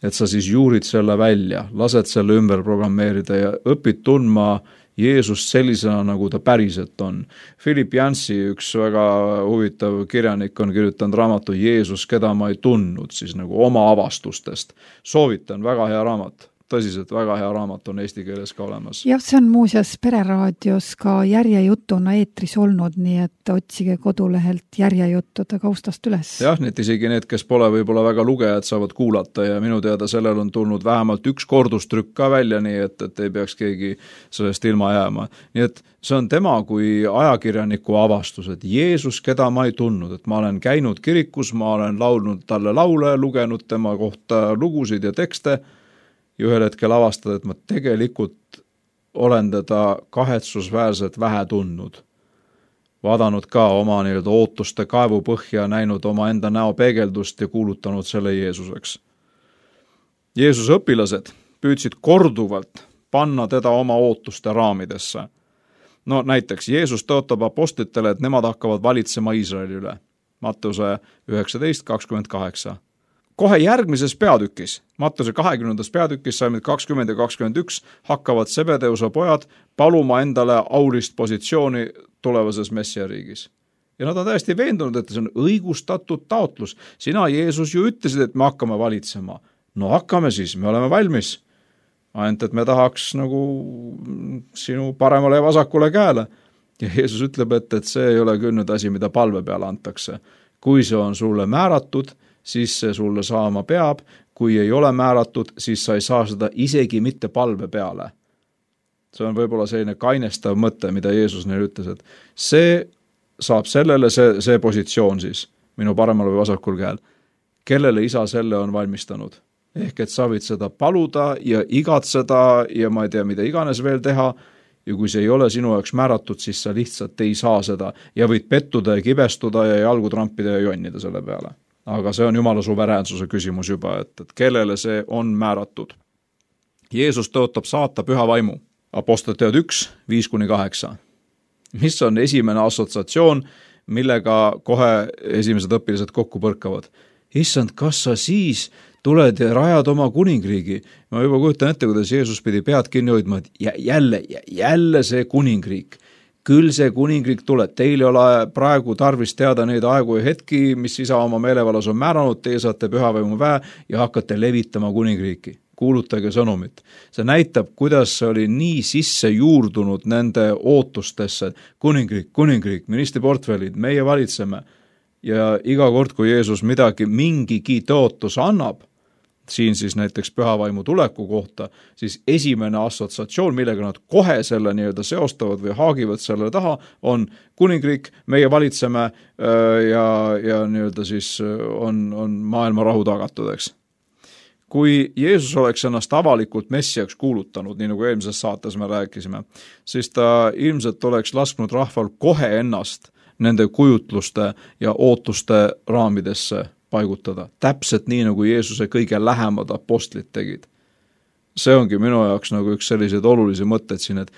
et sa siis juurid selle välja, lased selle ümber programmeerida ja õpid tundma Jeesust sellisena, nagu ta päriselt on. Philip Yancey, üks väga huvitav kirjanik, on kirjutanud raamatu Jeesus, keda ma ei tundnud, siis nagu oma avastustest. Soovitan, väga hea raamat. Tõsiselt väga hea raamat on eesti keeles ka olemas. Jah, see on muuseas Pereraadios ka järjejutuna eetris olnud, nii et otsige kodulehelt järjejuttude kaustast üles. Jah, need isegi need, kes pole võib-olla väga lugejad, saavad kuulata ja minu teada sellel on tulnud vähemalt üks kordustrükk ka välja, nii et, et ei peaks keegi sellest ilma jääma. Nii et see on tema kui ajakirjaniku avastus, et Jeesus, keda ma ei tundnud, et ma olen käinud kirikus, ma olen laulnud talle laule, lugenud tema kohta lugusid ja tekste, ja ühel hetkel avastada, et ma tegelikult olen teda kahetsusväärselt vähe tundnud. Vaadanud ka oma nii-öelda ootuste kaevu põhja, näinud oma enda näo peegeldust ja kuulutanud selle Jeesuseks. Jeesuse õpilased püüdsid korduvalt panna teda oma ootuste raamidesse. No näiteks Jeesus tõotab apostlitele, et nemad hakkavad valitsema Iisraeli üle. Matteuse üheksateist kakskümmend kaheksa. Kohe järgmises peatükis, Matteuse kahekümnendas peatükis saime kakskümmend ja kakskümmend üks, hakkavad Sebedeuse pojad paluma endale aulist positsiooni tulevases Messiariigis. Ja nad on täiesti veendunud, et see on õigustatud taotlus. Sina, Jeesus, ju ütlesid, et me hakkame valitsema. No hakkame siis, me oleme valmis. Ainult, et me tahaks nagu sinu paremale ja vasakule käele. Ja Jeesus ütleb, et, et see ei ole küll nüüd asi, mida palve peale antakse. Kui see on sulle määratud, siis see sulle saama peab, kui ei ole määratud, siis sa ei saa seda isegi mitte palve peale. See on võib-olla selline kainestav mõte, mida Jeesus neile ütles, et see saab sellele see, see positsioon siis, minu paremal või vasakul käel, kellele isa selle on valmistanud. Ehk et sa võid seda paluda ja igatseda ja ma ei tea, mida iganes veel teha, ja kui see ei ole sinu jaoks määratud, siis sa lihtsalt ei saa seda ja võid pettuda ja kibestuda ja jalgu trampida ja jonnida selle peale. Aga see on Jumala suveräänsuse küsimus juba, et, et kellele see on määratud. Jeesus tõotab saata püha vaimu. Apostliteod üks, viis kuni kaheksa. Mis on esimene assotsiatsioon, millega kohe esimesed õpilased kokku põrkavad? Issand, kas sa siis tuled ja rajad oma kuningriigi? Ma juba kujutan ette, kuidas Jeesus pidi pead kinni hoidma, et jälle, jälle see kuningriik. Küll see kuningriik tuleb, teil ei ole praegu tarvis teada neid aegu ja hetki, mis isa oma meelevallas on määranud, teie saate pühavaimu väe ja hakkate levitama kuningriiki. Kuulutage sõnumit. See näitab, kuidas see oli nii sisse juurdunud nende ootustesse. Kuningriik, kuningriik, ministriportfellid, meie valitseme. Ja iga kord, kui Jeesus midagi mingigi tõotus annab, siin siis näiteks pühavaimu tuleku kohta, siis esimene assotsiatsioon, millega nad kohe selle nii-öelda seostavad või haagivad selle taha, on kuningriik, meie valitseme ja, ja nii-öelda siis on, on maailma rahu tagatud, eks. Kui Jeesus oleks ennast avalikult messiaks kuulutanud, nii nagu eelmises saates me rääkisime, siis ta ilmselt oleks lasknud rahval kohe ennast nende kujutluste ja ootuste raamidesse paigutada. Täpselt nii, nagu Jeesuse kõige lähemad apostlid tegid. See ongi minu jaoks nagu üks selliseid olulisi mõtteid siin, et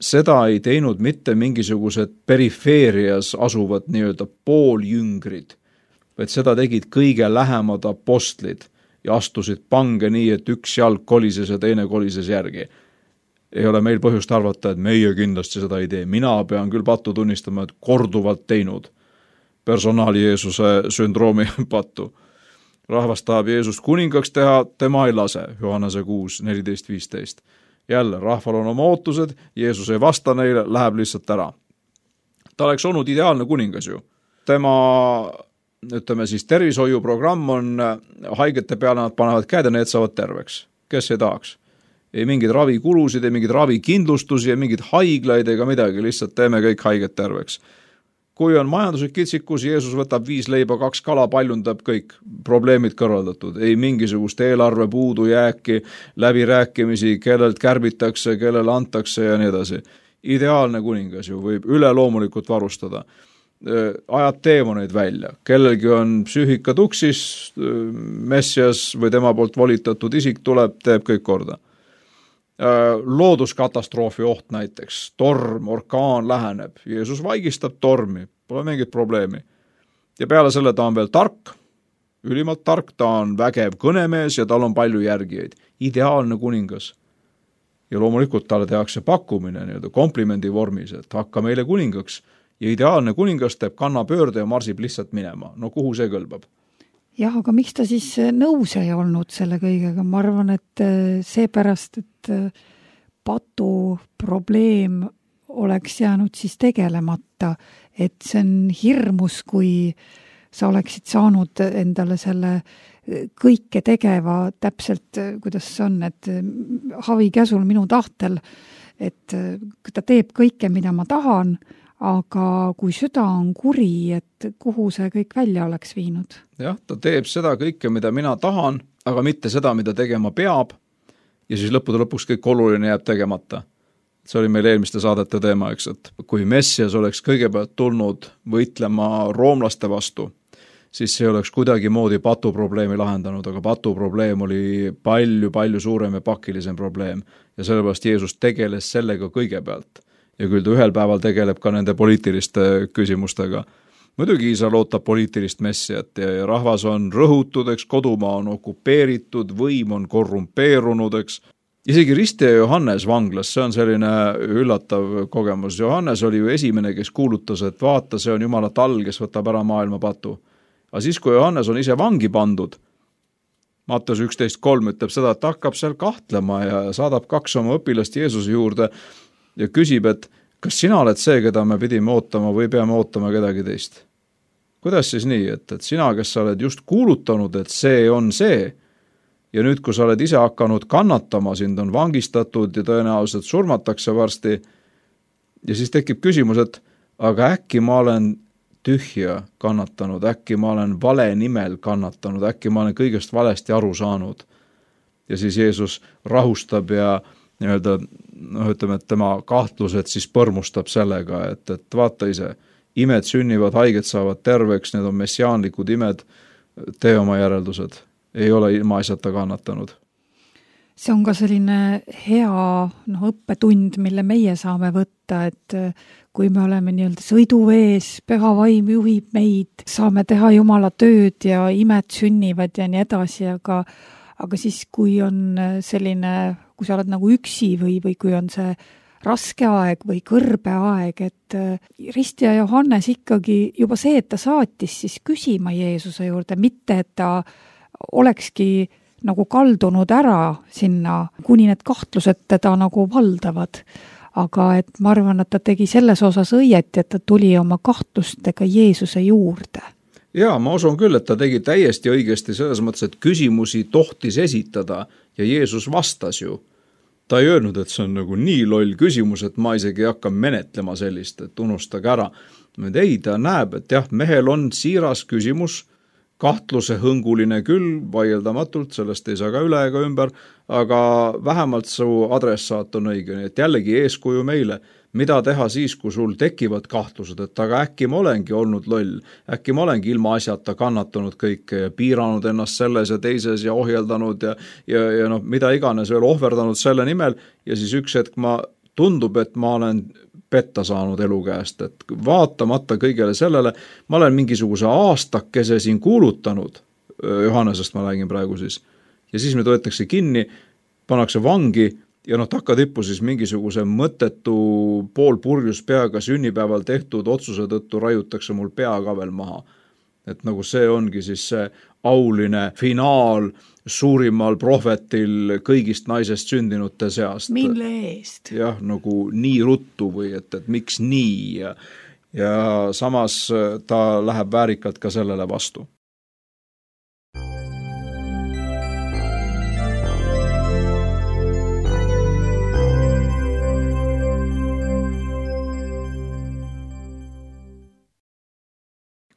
seda ei teinud mitte mingisugused perifeerias asuvad nii-öelda pooljüngrid, vaid seda tegid kõige lähemad apostlid ja astusid pange nii, et üks jalg kolises ja teine kolises järgi. Ei ole meil põhjust arvata, et meie kindlasti seda ei tee. Mina pean küll pattu tunnistama, et korduvalt teinud personaali Jeesuse sündroomi pattu. Rahvas tahab Jeesust kuningaks teha, tema ei lase, Johannese kuus, neliteist viisteist. Jälle, rahval on oma ootused, Jeesus ei vasta neile, läheb lihtsalt ära. Ta oleks olnud ideaalne kuningas ju. Tema, ütleme siis, tervishoiuprogramm on haigete peale, nad panevad käed ja need saavad terveks. Kes ei tahaks? Ei mingid ravikulusid, ei mingid ravikindlustusi, ei mingid haiglaid ega midagi, lihtsalt teeme kõik haiged terveks. kui on majanduslik kitsikus, Jeesus võtab viis leiba, kaks kala, paljundab kõik probleemid kõrvaldatud. Ei mingisugust eelarve puudujääki, läbirääkimisi, kellelt kärbitakse, kellele antakse ja nii edasi. Ideaalne kuningas ju võib üleloomulikult varustada. Ajab teemoneid välja. Kellelgi on psüühika tuksis, messias või tema poolt volitatud isik tuleb, teeb kõik korda. Looduskatastroofi oht näiteks, torm, orkaan läheneb, Jeesus vaigistab tormi, pole mingit probleemi. Ja peale selle ta on veel tark, ülimalt tark, ta on vägev kõnemees ja tal on palju järgijaid. Ideaalne kuningas. Ja loomulikult talle tehakse pakkumine nii-öelda komplimendi vormis, et hakka meile kuningaks. Ja ideaalne kuningas teeb kannapöörde ja marsib lihtsalt minema. No kuhu see kõlbab? Jah, aga miks ta siis nõus ei olnud selle kõigega? Ma arvan, et seepärast, et patu probleem oleks jäänud siis tegelemata. Et see on hirmus, kui sa oleksid saanud endale selle kõike tegeva täpselt, kuidas see on, et havi käsul minu tahtel, et ta teeb kõike, mida ma tahan, aga kui süda on kuri, et kuhu see kõik välja oleks viinud? Jah, ta teeb seda kõike, mida mina tahan, aga mitte seda, mida tegema peab, ja siis lõppude lõpuks kõik oluline jääb tegemata. See oli meil eelmiste saadete teema, eks, et kui messias oleks kõigepealt tulnud võitlema roomlaste vastu, siis see oleks kuidagi moodi patuprobleemi lahendanud, aga patuprobleem oli palju-palju suurem ja pakilisem probleem ja sellepärast Jeesus tegeles sellega kõigepealt. Ja küll ta ühel päeval tegeleb ka nende poliitiliste küsimustega. Muidugi Iisrael ootab poliitilist messiat ja rahvas on rõhutud, eks, kodumaa on okupeeritud, võim on korrumpeerunud, eks. Isegi Ristja Johannes vanglas, see on selline üllatav kogemus. Johannes oli ju esimene, kes kuulutas, et vaata, see on Jumala tall, kes võtab ära maailma patu. Aga siis, kui Johannes on ise vangi pandud, Matteus üksteist kolm ütleb seda, et hakkab seal kahtlema ja saadab kaks oma õpilast Jeesuse juurde ja küsib, et kas sina oled see, keda me pidime ootama või peame ootama kedagi teist? Kuidas siis nii, et, et sina, kes sa oled just kuulutanud, et see on see, ja nüüd, kui sa oled ise hakanud kannatama, sind on vangistatud ja tõenäoliselt surmatakse varsti, ja siis tekib küsimus, et aga äkki ma olen tühja kannatanud, äkki ma olen vale nimel kannatanud, äkki ma olen kõigest valesti aru saanud. Ja siis Jeesus rahustab ja nii-öelda, noh, ütleme, et tema kahtlused siis põrmustab sellega, et, et vaata ise, imed sünnivad, haiged saavad terveks, need on messiaanlikud imed, tee oma järeldused, ei ole ilma asjata kannatanud. See on ka selline hea no, õppetund, mille meie saame võtta, et kui me oleme nii-öelda sõiduvees, püha vaim juhib meid, saame teha Jumala tööd ja imed sünnivad ja nii edasi, aga aga siis, kui on selline, kui sa oled nagu üksi või, või kui on see raske aeg või kõrbe aeg, et Ristja Johannes ikkagi juba see, et ta saatis siis küsima Jeesuse juurde, mitte et ta olekski nagu kaldunud ära sinna, kuni need kahtlused teda nagu valdavad. Aga et ma arvan, et ta tegi selles osas õieti, et ta tuli oma kahtlustega Jeesuse juurde. Jaa, ma usun küll, et ta tegi täiesti õigesti selles mõttes, et küsimusi tohtis esitada ja Jeesus vastas ju. Ta ei öelnud, et see on nagu nii loll küsimus, et ma isegi ei hakka menetlema sellist, et unustage ära. Ei, ta näeb, et jah, mehel on siiras küsimus, kahtluse hõnguline küll, vaieldamatult, sellest ei saa ka üle ega ümber, aga vähemalt su adressaat on õige, et jällegi eeskuju meile. Mida teha siis, kui sul tekivad kahtlused, et aga äkki ma olengi olnud loll, äkki ma olengi ilma asjata kannatanud kõike ja piiranud ennast selles ja teises ja ohjeldanud ja, ja, ja no, mida iganes veel ohverdanud selle nimel ja siis üks hetk ma tundub, et ma olen petta saanud elu käest, et vaatamata kõigele sellele, ma olen mingisuguse aastakese siin kuulutanud, Johannesest ma räägin praegu siis, ja siis me võetakse kinni, pannakse vangi ja noh, takkatippu siis mingisuguse mõttetu pool purjus peaga sünnipäeval tehtud otsuse tõttu raiutakse mul pea ka veel maha. Et nagu see ongi siis see auline finaal suurimal prohvetil kõigist naisest sündinute seast. Mille eest? Jah, nagu nii ruttu või et, et miks nii ja, ja samas ta läheb väärikalt ka sellele vastu.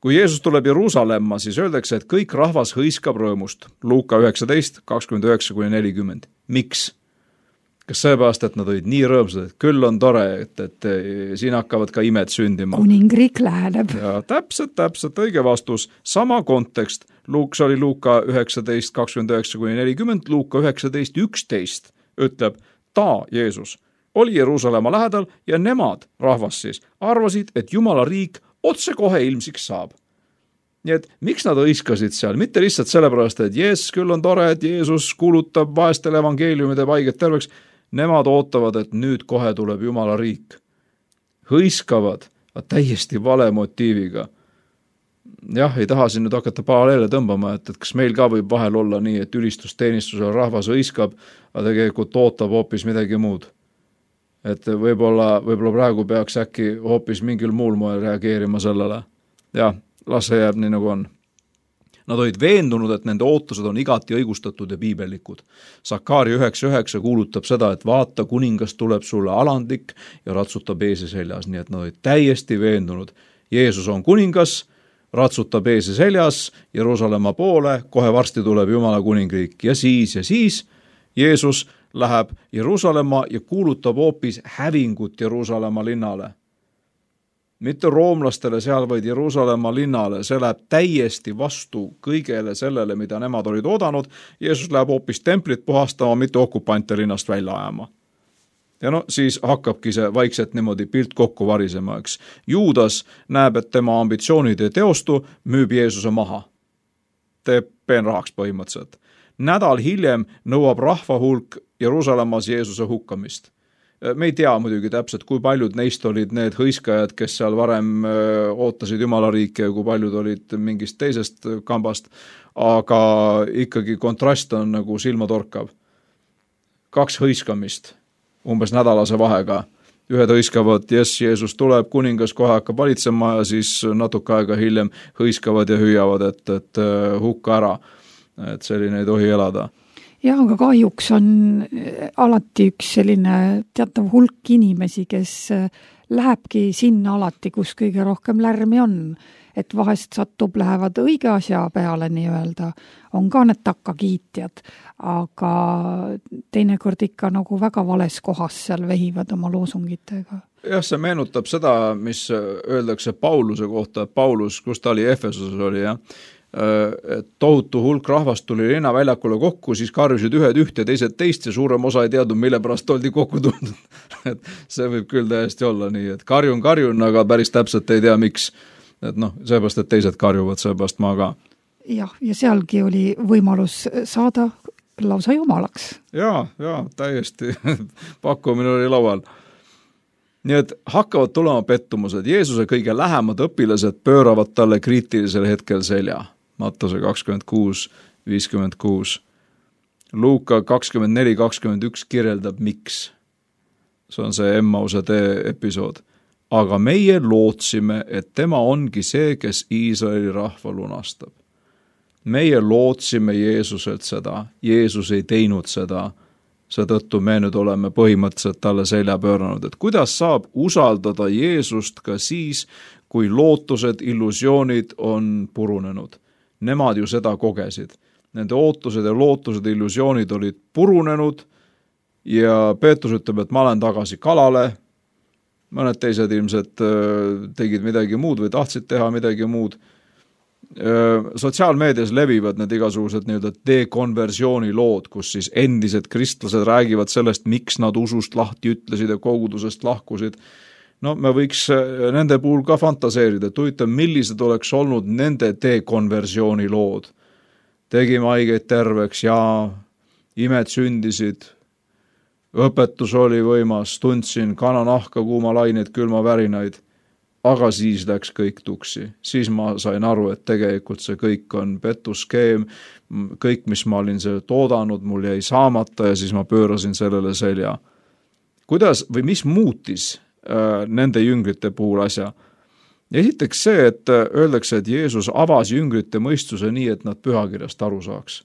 kui Jeesus tuleb Jeruusalemma, siis öeldakse, et kõik rahvas hõiskab rõõmust. Luuka üheksateist, kakskümmend üheksa kuni nelikümmend. Miks? Kas seepärast, et nad olid nii rõõmsad, et küll on tore, et, et siin hakkavad ka imed sündima. Kuningriik läheneb. Ja täpselt, täpselt, õige vastus. Sama kontekst. Luuk, see oli Luuka üheksateist, kakskümmend üheksa kuni nelikümmend, Luuka üheksateist, üksteist ütleb, ta, Jeesus, oli Jeruusalemma lähedal ja nemad, rahvas siis, arvasid, et Jumala riik otse kohe ilmsiks saab. Nii et miks nad hõiskasid seal? Mitte lihtsalt sellepärast, et jes, küll on tore, et Jeesus kuulutab vaestele evangeeliumide paiget terveks. Nemad ootavad, et nüüd kohe tuleb Jumala riik. Hõiskavad, täiesti vale motiiviga. Jah, ei taha siin nüüd hakata paralleele tõmbama, et, et kas meil ka võib vahel olla nii, et ülistusteenistusel rahvas hõiskab, aga tegelikult ootab hoopis midagi muud. Et võib-olla, võib-olla praegu peaks äkki hoopis mingil muul moel reageerima sellele. Jah, las see jääb nii nagu on. Nad olid veendunud, et nende ootused on igati õigustatud ja piibellikud. Sakari üheksa üheksa kuulutab seda, et vaata, kuningas tuleb sulle alandlik ja ratsutab eesi seljas. Nii et nad olid täiesti veendunud. Jeesus on kuningas, ratsutab eesi seljas, Jeruusalemma poole, kohe varsti tuleb Jumala kuningriik. Ja siis ja siis Jeesus läheb Jeruusalemma ja kuulutab hoopis hävingut Jeruusalemma linnale. Mitte roomlastele seal, vaid Jeruusalemma linnale. See läheb täiesti vastu kõigele sellele, mida nemad olid oodanud. Jeesus läheb hoopis templit puhastama, mitte okupante linnast välja ajama. Ja no siis hakkabki see vaikselt niimoodi pilt kokku varisema, eks. Juudas näeb, et tema ambitsioonid ei teostu, müüb Jeesuse maha. Teeb peenrahaks põhimõtteliselt. Nädal hiljem nõuab rahva hulk Jeruusalemmas Jeesuse hukkamist. Me ei tea muidugi täpselt, kui paljud neist olid need hõiskajad, kes seal varem ootasid Jumala riiki ja kui paljud olid mingist teisest kambast, aga ikkagi kontrast on nagu silmatorkav. Kaks hõiskamist, umbes nädalase vahega. Ühed hõiskavad, jes, Jeesus tuleb, kuningas kohe hakkab valitsema ja siis natuke aega hiljem hõiskavad ja hüüavad, et, et hukka ära. Et selline ei tohi elada. Jah, aga kahjuks on alati üks selline teatav hulk inimesi, kes lähebki sinna alati, kus kõige rohkem lärmi on. Et vahest satub, lähevad õige asja peale nii-öelda, on ka need takkakiitjad, aga teinekord ikka nagu väga vales kohas seal vehivad oma loosungitega. Jah, see meenutab seda, mis öeldakse Pauluse kohta, Paulus, kus ta oli Efesuses oli, jah. Et tohutu hulk rahvast tuli linnaväljakule kokku, siis karjusid ühed üht ja teised teist ja suurem osa ei teadnud, mille pärast oldi kokku tulnud. Et see võib küll täiesti olla nii, et karjun, karjun, aga päris täpselt ei tea, miks. Et noh, seepärast, et teised karjuvad, seepärast ma ka. Jah, ja sealgi oli võimalus saada lausa jumalaks. Jaa, jaa, täiesti. Pakkumine oli laual. Nii et hakkavad tulema pettumused. Jeesuse kõige lähemad õpilased pööravad talle kriitilisel hetkel selja. Mattuse kakskümmend kuus viiskümmend kuus. Luuka kakskümmend neli kakskümmend üks kirjeldab miks. See on see Emmause tee episood. Aga meie lootsime, et tema ongi see, kes Iisraeli rahva lunastab. Meie lootsime Jeesuselt seda. Jeesus ei teinud seda. Seetõttu me nüüd oleme põhimõtteliselt talle selja pööranud. Et kuidas saab usaldada Jeesust ka siis, kui lootused, illusioonid on purunenud? Nemad ju seda kogesid. Nende ootused ja lootused, illusioonid olid purunenud ja Peetrus ütleb, et ma olen tagasi kalale. Mõned teised ilmselt tegid midagi muud või tahtsid teha midagi muud. Sotsiaalmeedias levivad need igasugused nii-öelda dekonversiooni lood, kus siis endised kristlased räägivad sellest, miks nad usust lahti ütlesid ja kogudusest lahkusid. No me võiks nende puhul ka fantaseerida, et huvitav, millised oleks olnud nende dekonversiooni lood. Tegime haigeid terveks ja imed sündisid, õpetus oli võimas, tundsin kananahka, kuumalaineid, külmavärinaid, aga siis läks kõik tuksi. Siis ma sain aru, et tegelikult see kõik on petuskeem, kõik, mis ma olin see toodanud, mul jäi saamata ja siis ma pöörasin sellele selja. Kuidas või mis muutis äh, nende jüngrite puhul asja? Esiteks see, et öeldakse, et Jeesus avas jüngrite mõistuse nii, et nad pühakirjast aru saaks.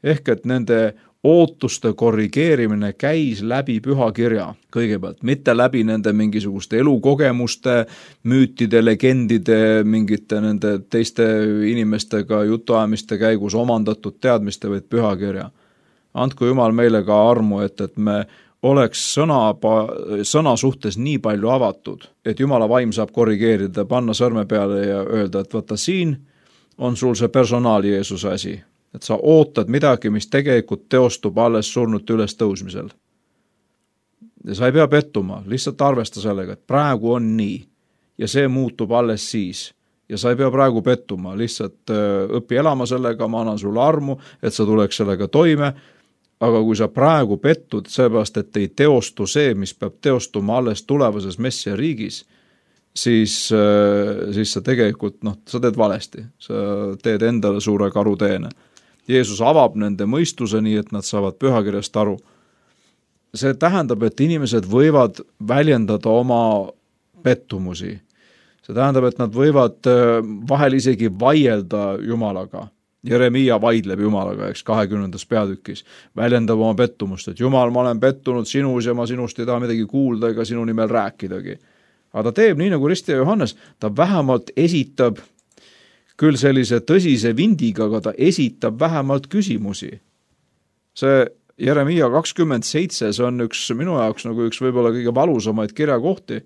ehk et nende ootuste korrigeerimine käis läbi pühakirja kõigepealt, mitte läbi nende mingisuguste elukogemuste, müütide, legendide, mingite nende teiste inimestega jutuajamiste käigus omandatud teadmiste, vaid pühakirja. Andku Jumal meile ka armu, et, et me oleks sõna, sõna suhtes nii palju avatud, et Jumala vaim saab korrigeerida, panna sõrme peale ja öelda, et vaata siin on sul see personaal Jeesuse asi. Et sa ootad midagi, mis tegelikult teostub alles surnute üles tõusmisel. Ja sa ei pea pettuma, lihtsalt arvesta sellega, et praegu on nii ja see muutub alles siis. Ja sa ei pea praegu pettuma, lihtsalt õpi elama sellega, ma annan sulle armu, et sa tuleks sellega toime, aga kui sa praegu pettud, seepärast, et ei teostu see, mis peab teostuma alles tulevases messia riigis, siis, siis sa tegelikult, noh, sa teed valesti, sa teed endale suure karuteene. Jeesus avab nende mõistuse nii, et nad saavad pühakirjast aru. See tähendab, et inimesed võivad väljendada oma pettumusi. See tähendab, et nad võivad vahel isegi vaielda Jumalaga. Jeremiia vaidleb Jumalaga, eks, kahekümnendas peatükis. Väljendab oma pettumust, et Jumal, ma olen pettunud sinus ja ma sinust ei taha midagi kuulda ega sinu nimel rääkidagi. Aga ta teeb nii nagu Ristja Johannes, ta vähemalt esitab küll sellise tõsise vindiga, aga ta esitab vähemalt küsimusi. See Jeremiia kakskümmend seitse, see on üks minu jaoks nagu üks võib-olla kõige valusamaid kirjakohti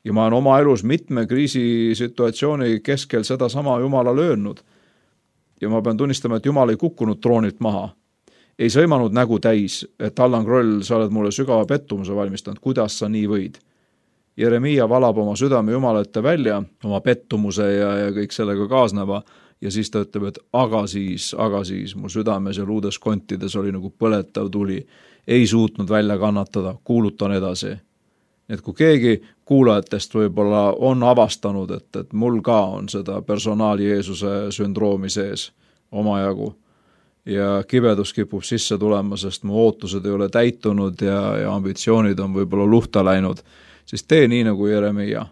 ja ma olen oma elus mitme kriisisituatsiooni keskel seda sama Jumala löönud. Ja ma pean tunnistama, et Jumal ei kukkunud troonilt maha. Ei sõimanud nägu täis, et Allan Kroll, sa oled mulle sügava pettumuse valmistanud, kuidas sa nii võid. Jeremiia valab oma südame Jumala ette välja, oma pettumuse ja, ja kõik sellega kaasneva ja siis ta ütleb, et aga siis, aga siis mu südames ja luudes kontides oli nagu põletav tuli, ei suutnud välja kannatada, kuulutan edasi. Et kui keegi kuulajatest võib-olla on avastanud, et, et mul ka on seda personaali Jeesuse sündroomi sees omajagu ja kibedus kipub sisse tulema, sest mu ootused ei ole täitunud ja, ja ambitsioonid on võib-olla luhta läinud, siis tee nii nagu Jeremiia.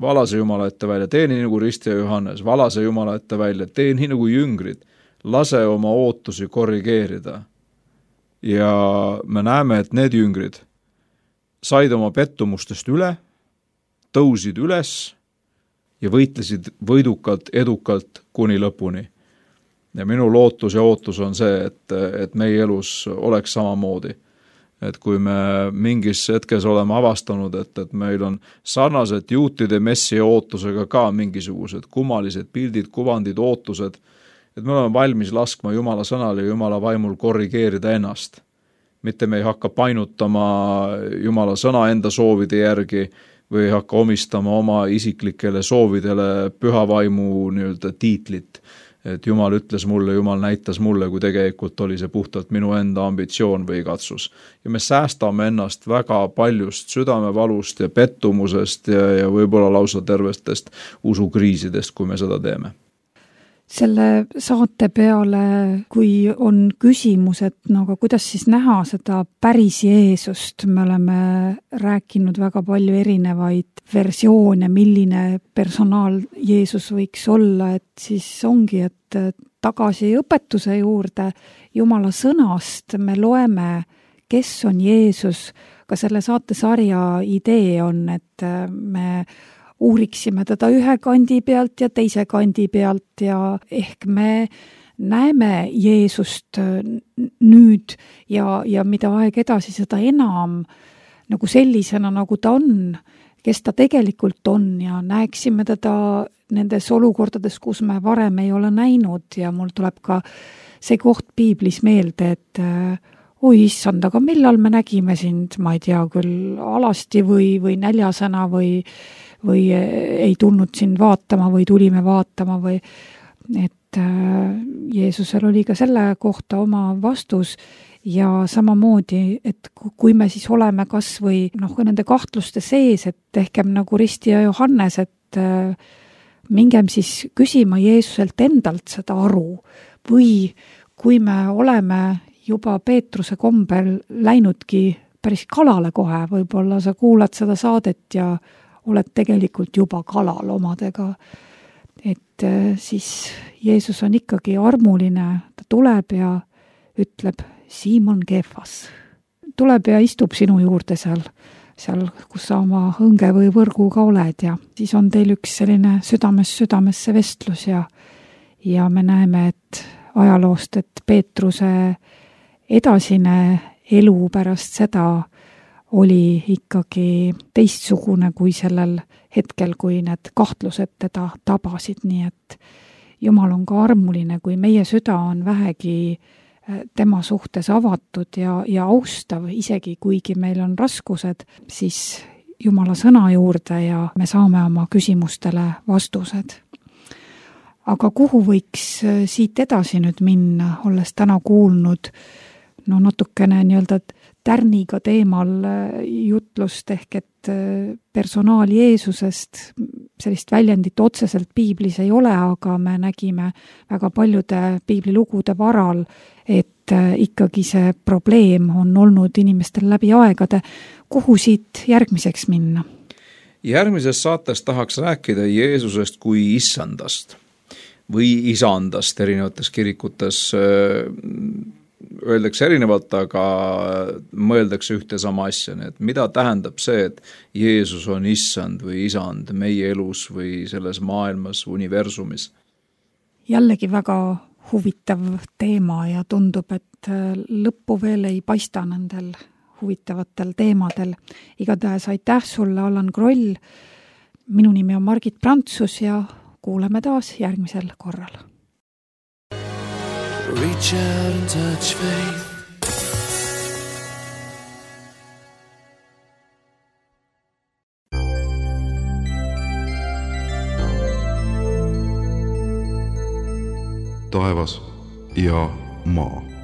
Vala see Jumala ette välja, tee nii nagu Ristja Johannes, vala see Jumala ette välja, tee nii nagu jüngrid, lase oma ootusi korrigeerida. Ja me näeme, et need jüngrid said oma pettumustest üle, tõusid üles ja võitlesid võidukalt, edukalt kuni lõpuni. Ja minu lootus ja ootus on see, et, et meie elus oleks samamoodi. Et kui me mingis hetkes oleme avastanud, et, et meil on sarnased juutide messia ootusega ka mingisugused kummalised pildid, kuvandid, ootused, et me oleme valmis laskma Jumala sõnale ja Jumala vaimul korrigeerida ennast. Mitte me ei hakka painutama Jumala sõna enda soovide järgi või ei hakka omistama oma isiklikele soovidele püha vaimu nii-öelda tiitlit. Et Jumal ütles mulle, Jumal näitas mulle, kui tegelikult oli see puhtalt minu enda ambitsioon või katsus. Ja me säästame ennast väga paljust südamevalust ja pettumusest ja, ja võib-olla lausa tervestest usukriisidest, kui me seda teeme. Selle saate peale, kui on küsimus, et no aga kuidas siis näha seda päris Jeesust, me oleme rääkinud väga palju erinevaid versioone, milline personaal Jeesus võiks olla, et siis ongi, et tagasi õpetuse juurde Jumala sõnast me loeme, kes on Jeesus, ka selle saatesarja idee on, et me uuriksime teda ühe kandi pealt ja teise kandi pealt ja ehk me näeme Jeesust nüüd ja, ja mida aeg edasi, seda enam nagu sellisena, nagu ta on, kes ta tegelikult on ja näeksime teda nendes olukordades, kus me varem ei ole näinud ja mul tuleb ka see koht piiblis meelde, et oi issand, aga millal me nägime sind, ma ei tea, küll alasti või, või näljasena või või ei tulnud sind vaatama või tulime vaatama või et Jeesusel oli ka selle kohta oma vastus ja samamoodi, et kui me siis oleme kas või noh, nende kahtluste sees, et ehkem nagu Ristja Johannes, et mingem siis küsima Jeesuselt endalt seda aru või kui me oleme juba Peetruse kombel läinudki päris kalale kohe, võib-olla sa kuulad seda saadet ja oled tegelikult juba kalal omadega, et siis Jeesus on ikkagi armuline, ta tuleb ja ütleb Siimon Keefas. Tuleb ja istub sinu juurde seal, seal, kus sa oma õnge või võrguga oled ja siis on teil üks selline südames südamesse vestlus ja, ja me näeme, et ajaloost, et Peetruse edasine elu pärast seda oli ikkagi teistsugune kui sellel hetkel, kui need kahtlused teda tabasid, nii et Jumal on ka armuline, kui meie süda on vähegi tema suhtes avatud ja, ja austav, isegi kuigi meil on raskused, siis Jumala sõna juurde ja me saame oma küsimustele vastused. Aga kuhu võiks siit edasi nüüd minna, olles täna kuulnud no natukene nii-öelda tärniga teemal jutlust ehk et personaal Jeesusest, sellist väljendit otseselt piiblis ei ole, aga me nägime väga paljude piiblilugude varal, et ikkagi see probleem on olnud inimestel läbi aegade. Kuhu siit järgmiseks minna? Järgmises saates tahaks rääkida Jeesusest kui issandast või isandast erinevates kirikutes. Öeldakse erinevalt, aga mõeldakse ühte sama asja, nii et mida tähendab see, et Jeesus on issand või isand meie elus või selles maailmas, universumis? Jällegi väga huvitav teema ja tundub, et lõppu veel ei paista nendel huvitavatel teemadel. Igatahes aitäh sulle, Allan Kroll. Minu nimi on Margit Prantsus ja kuuleme taas järgmisel korral. Reach out and touch faith. Taevas ja maa.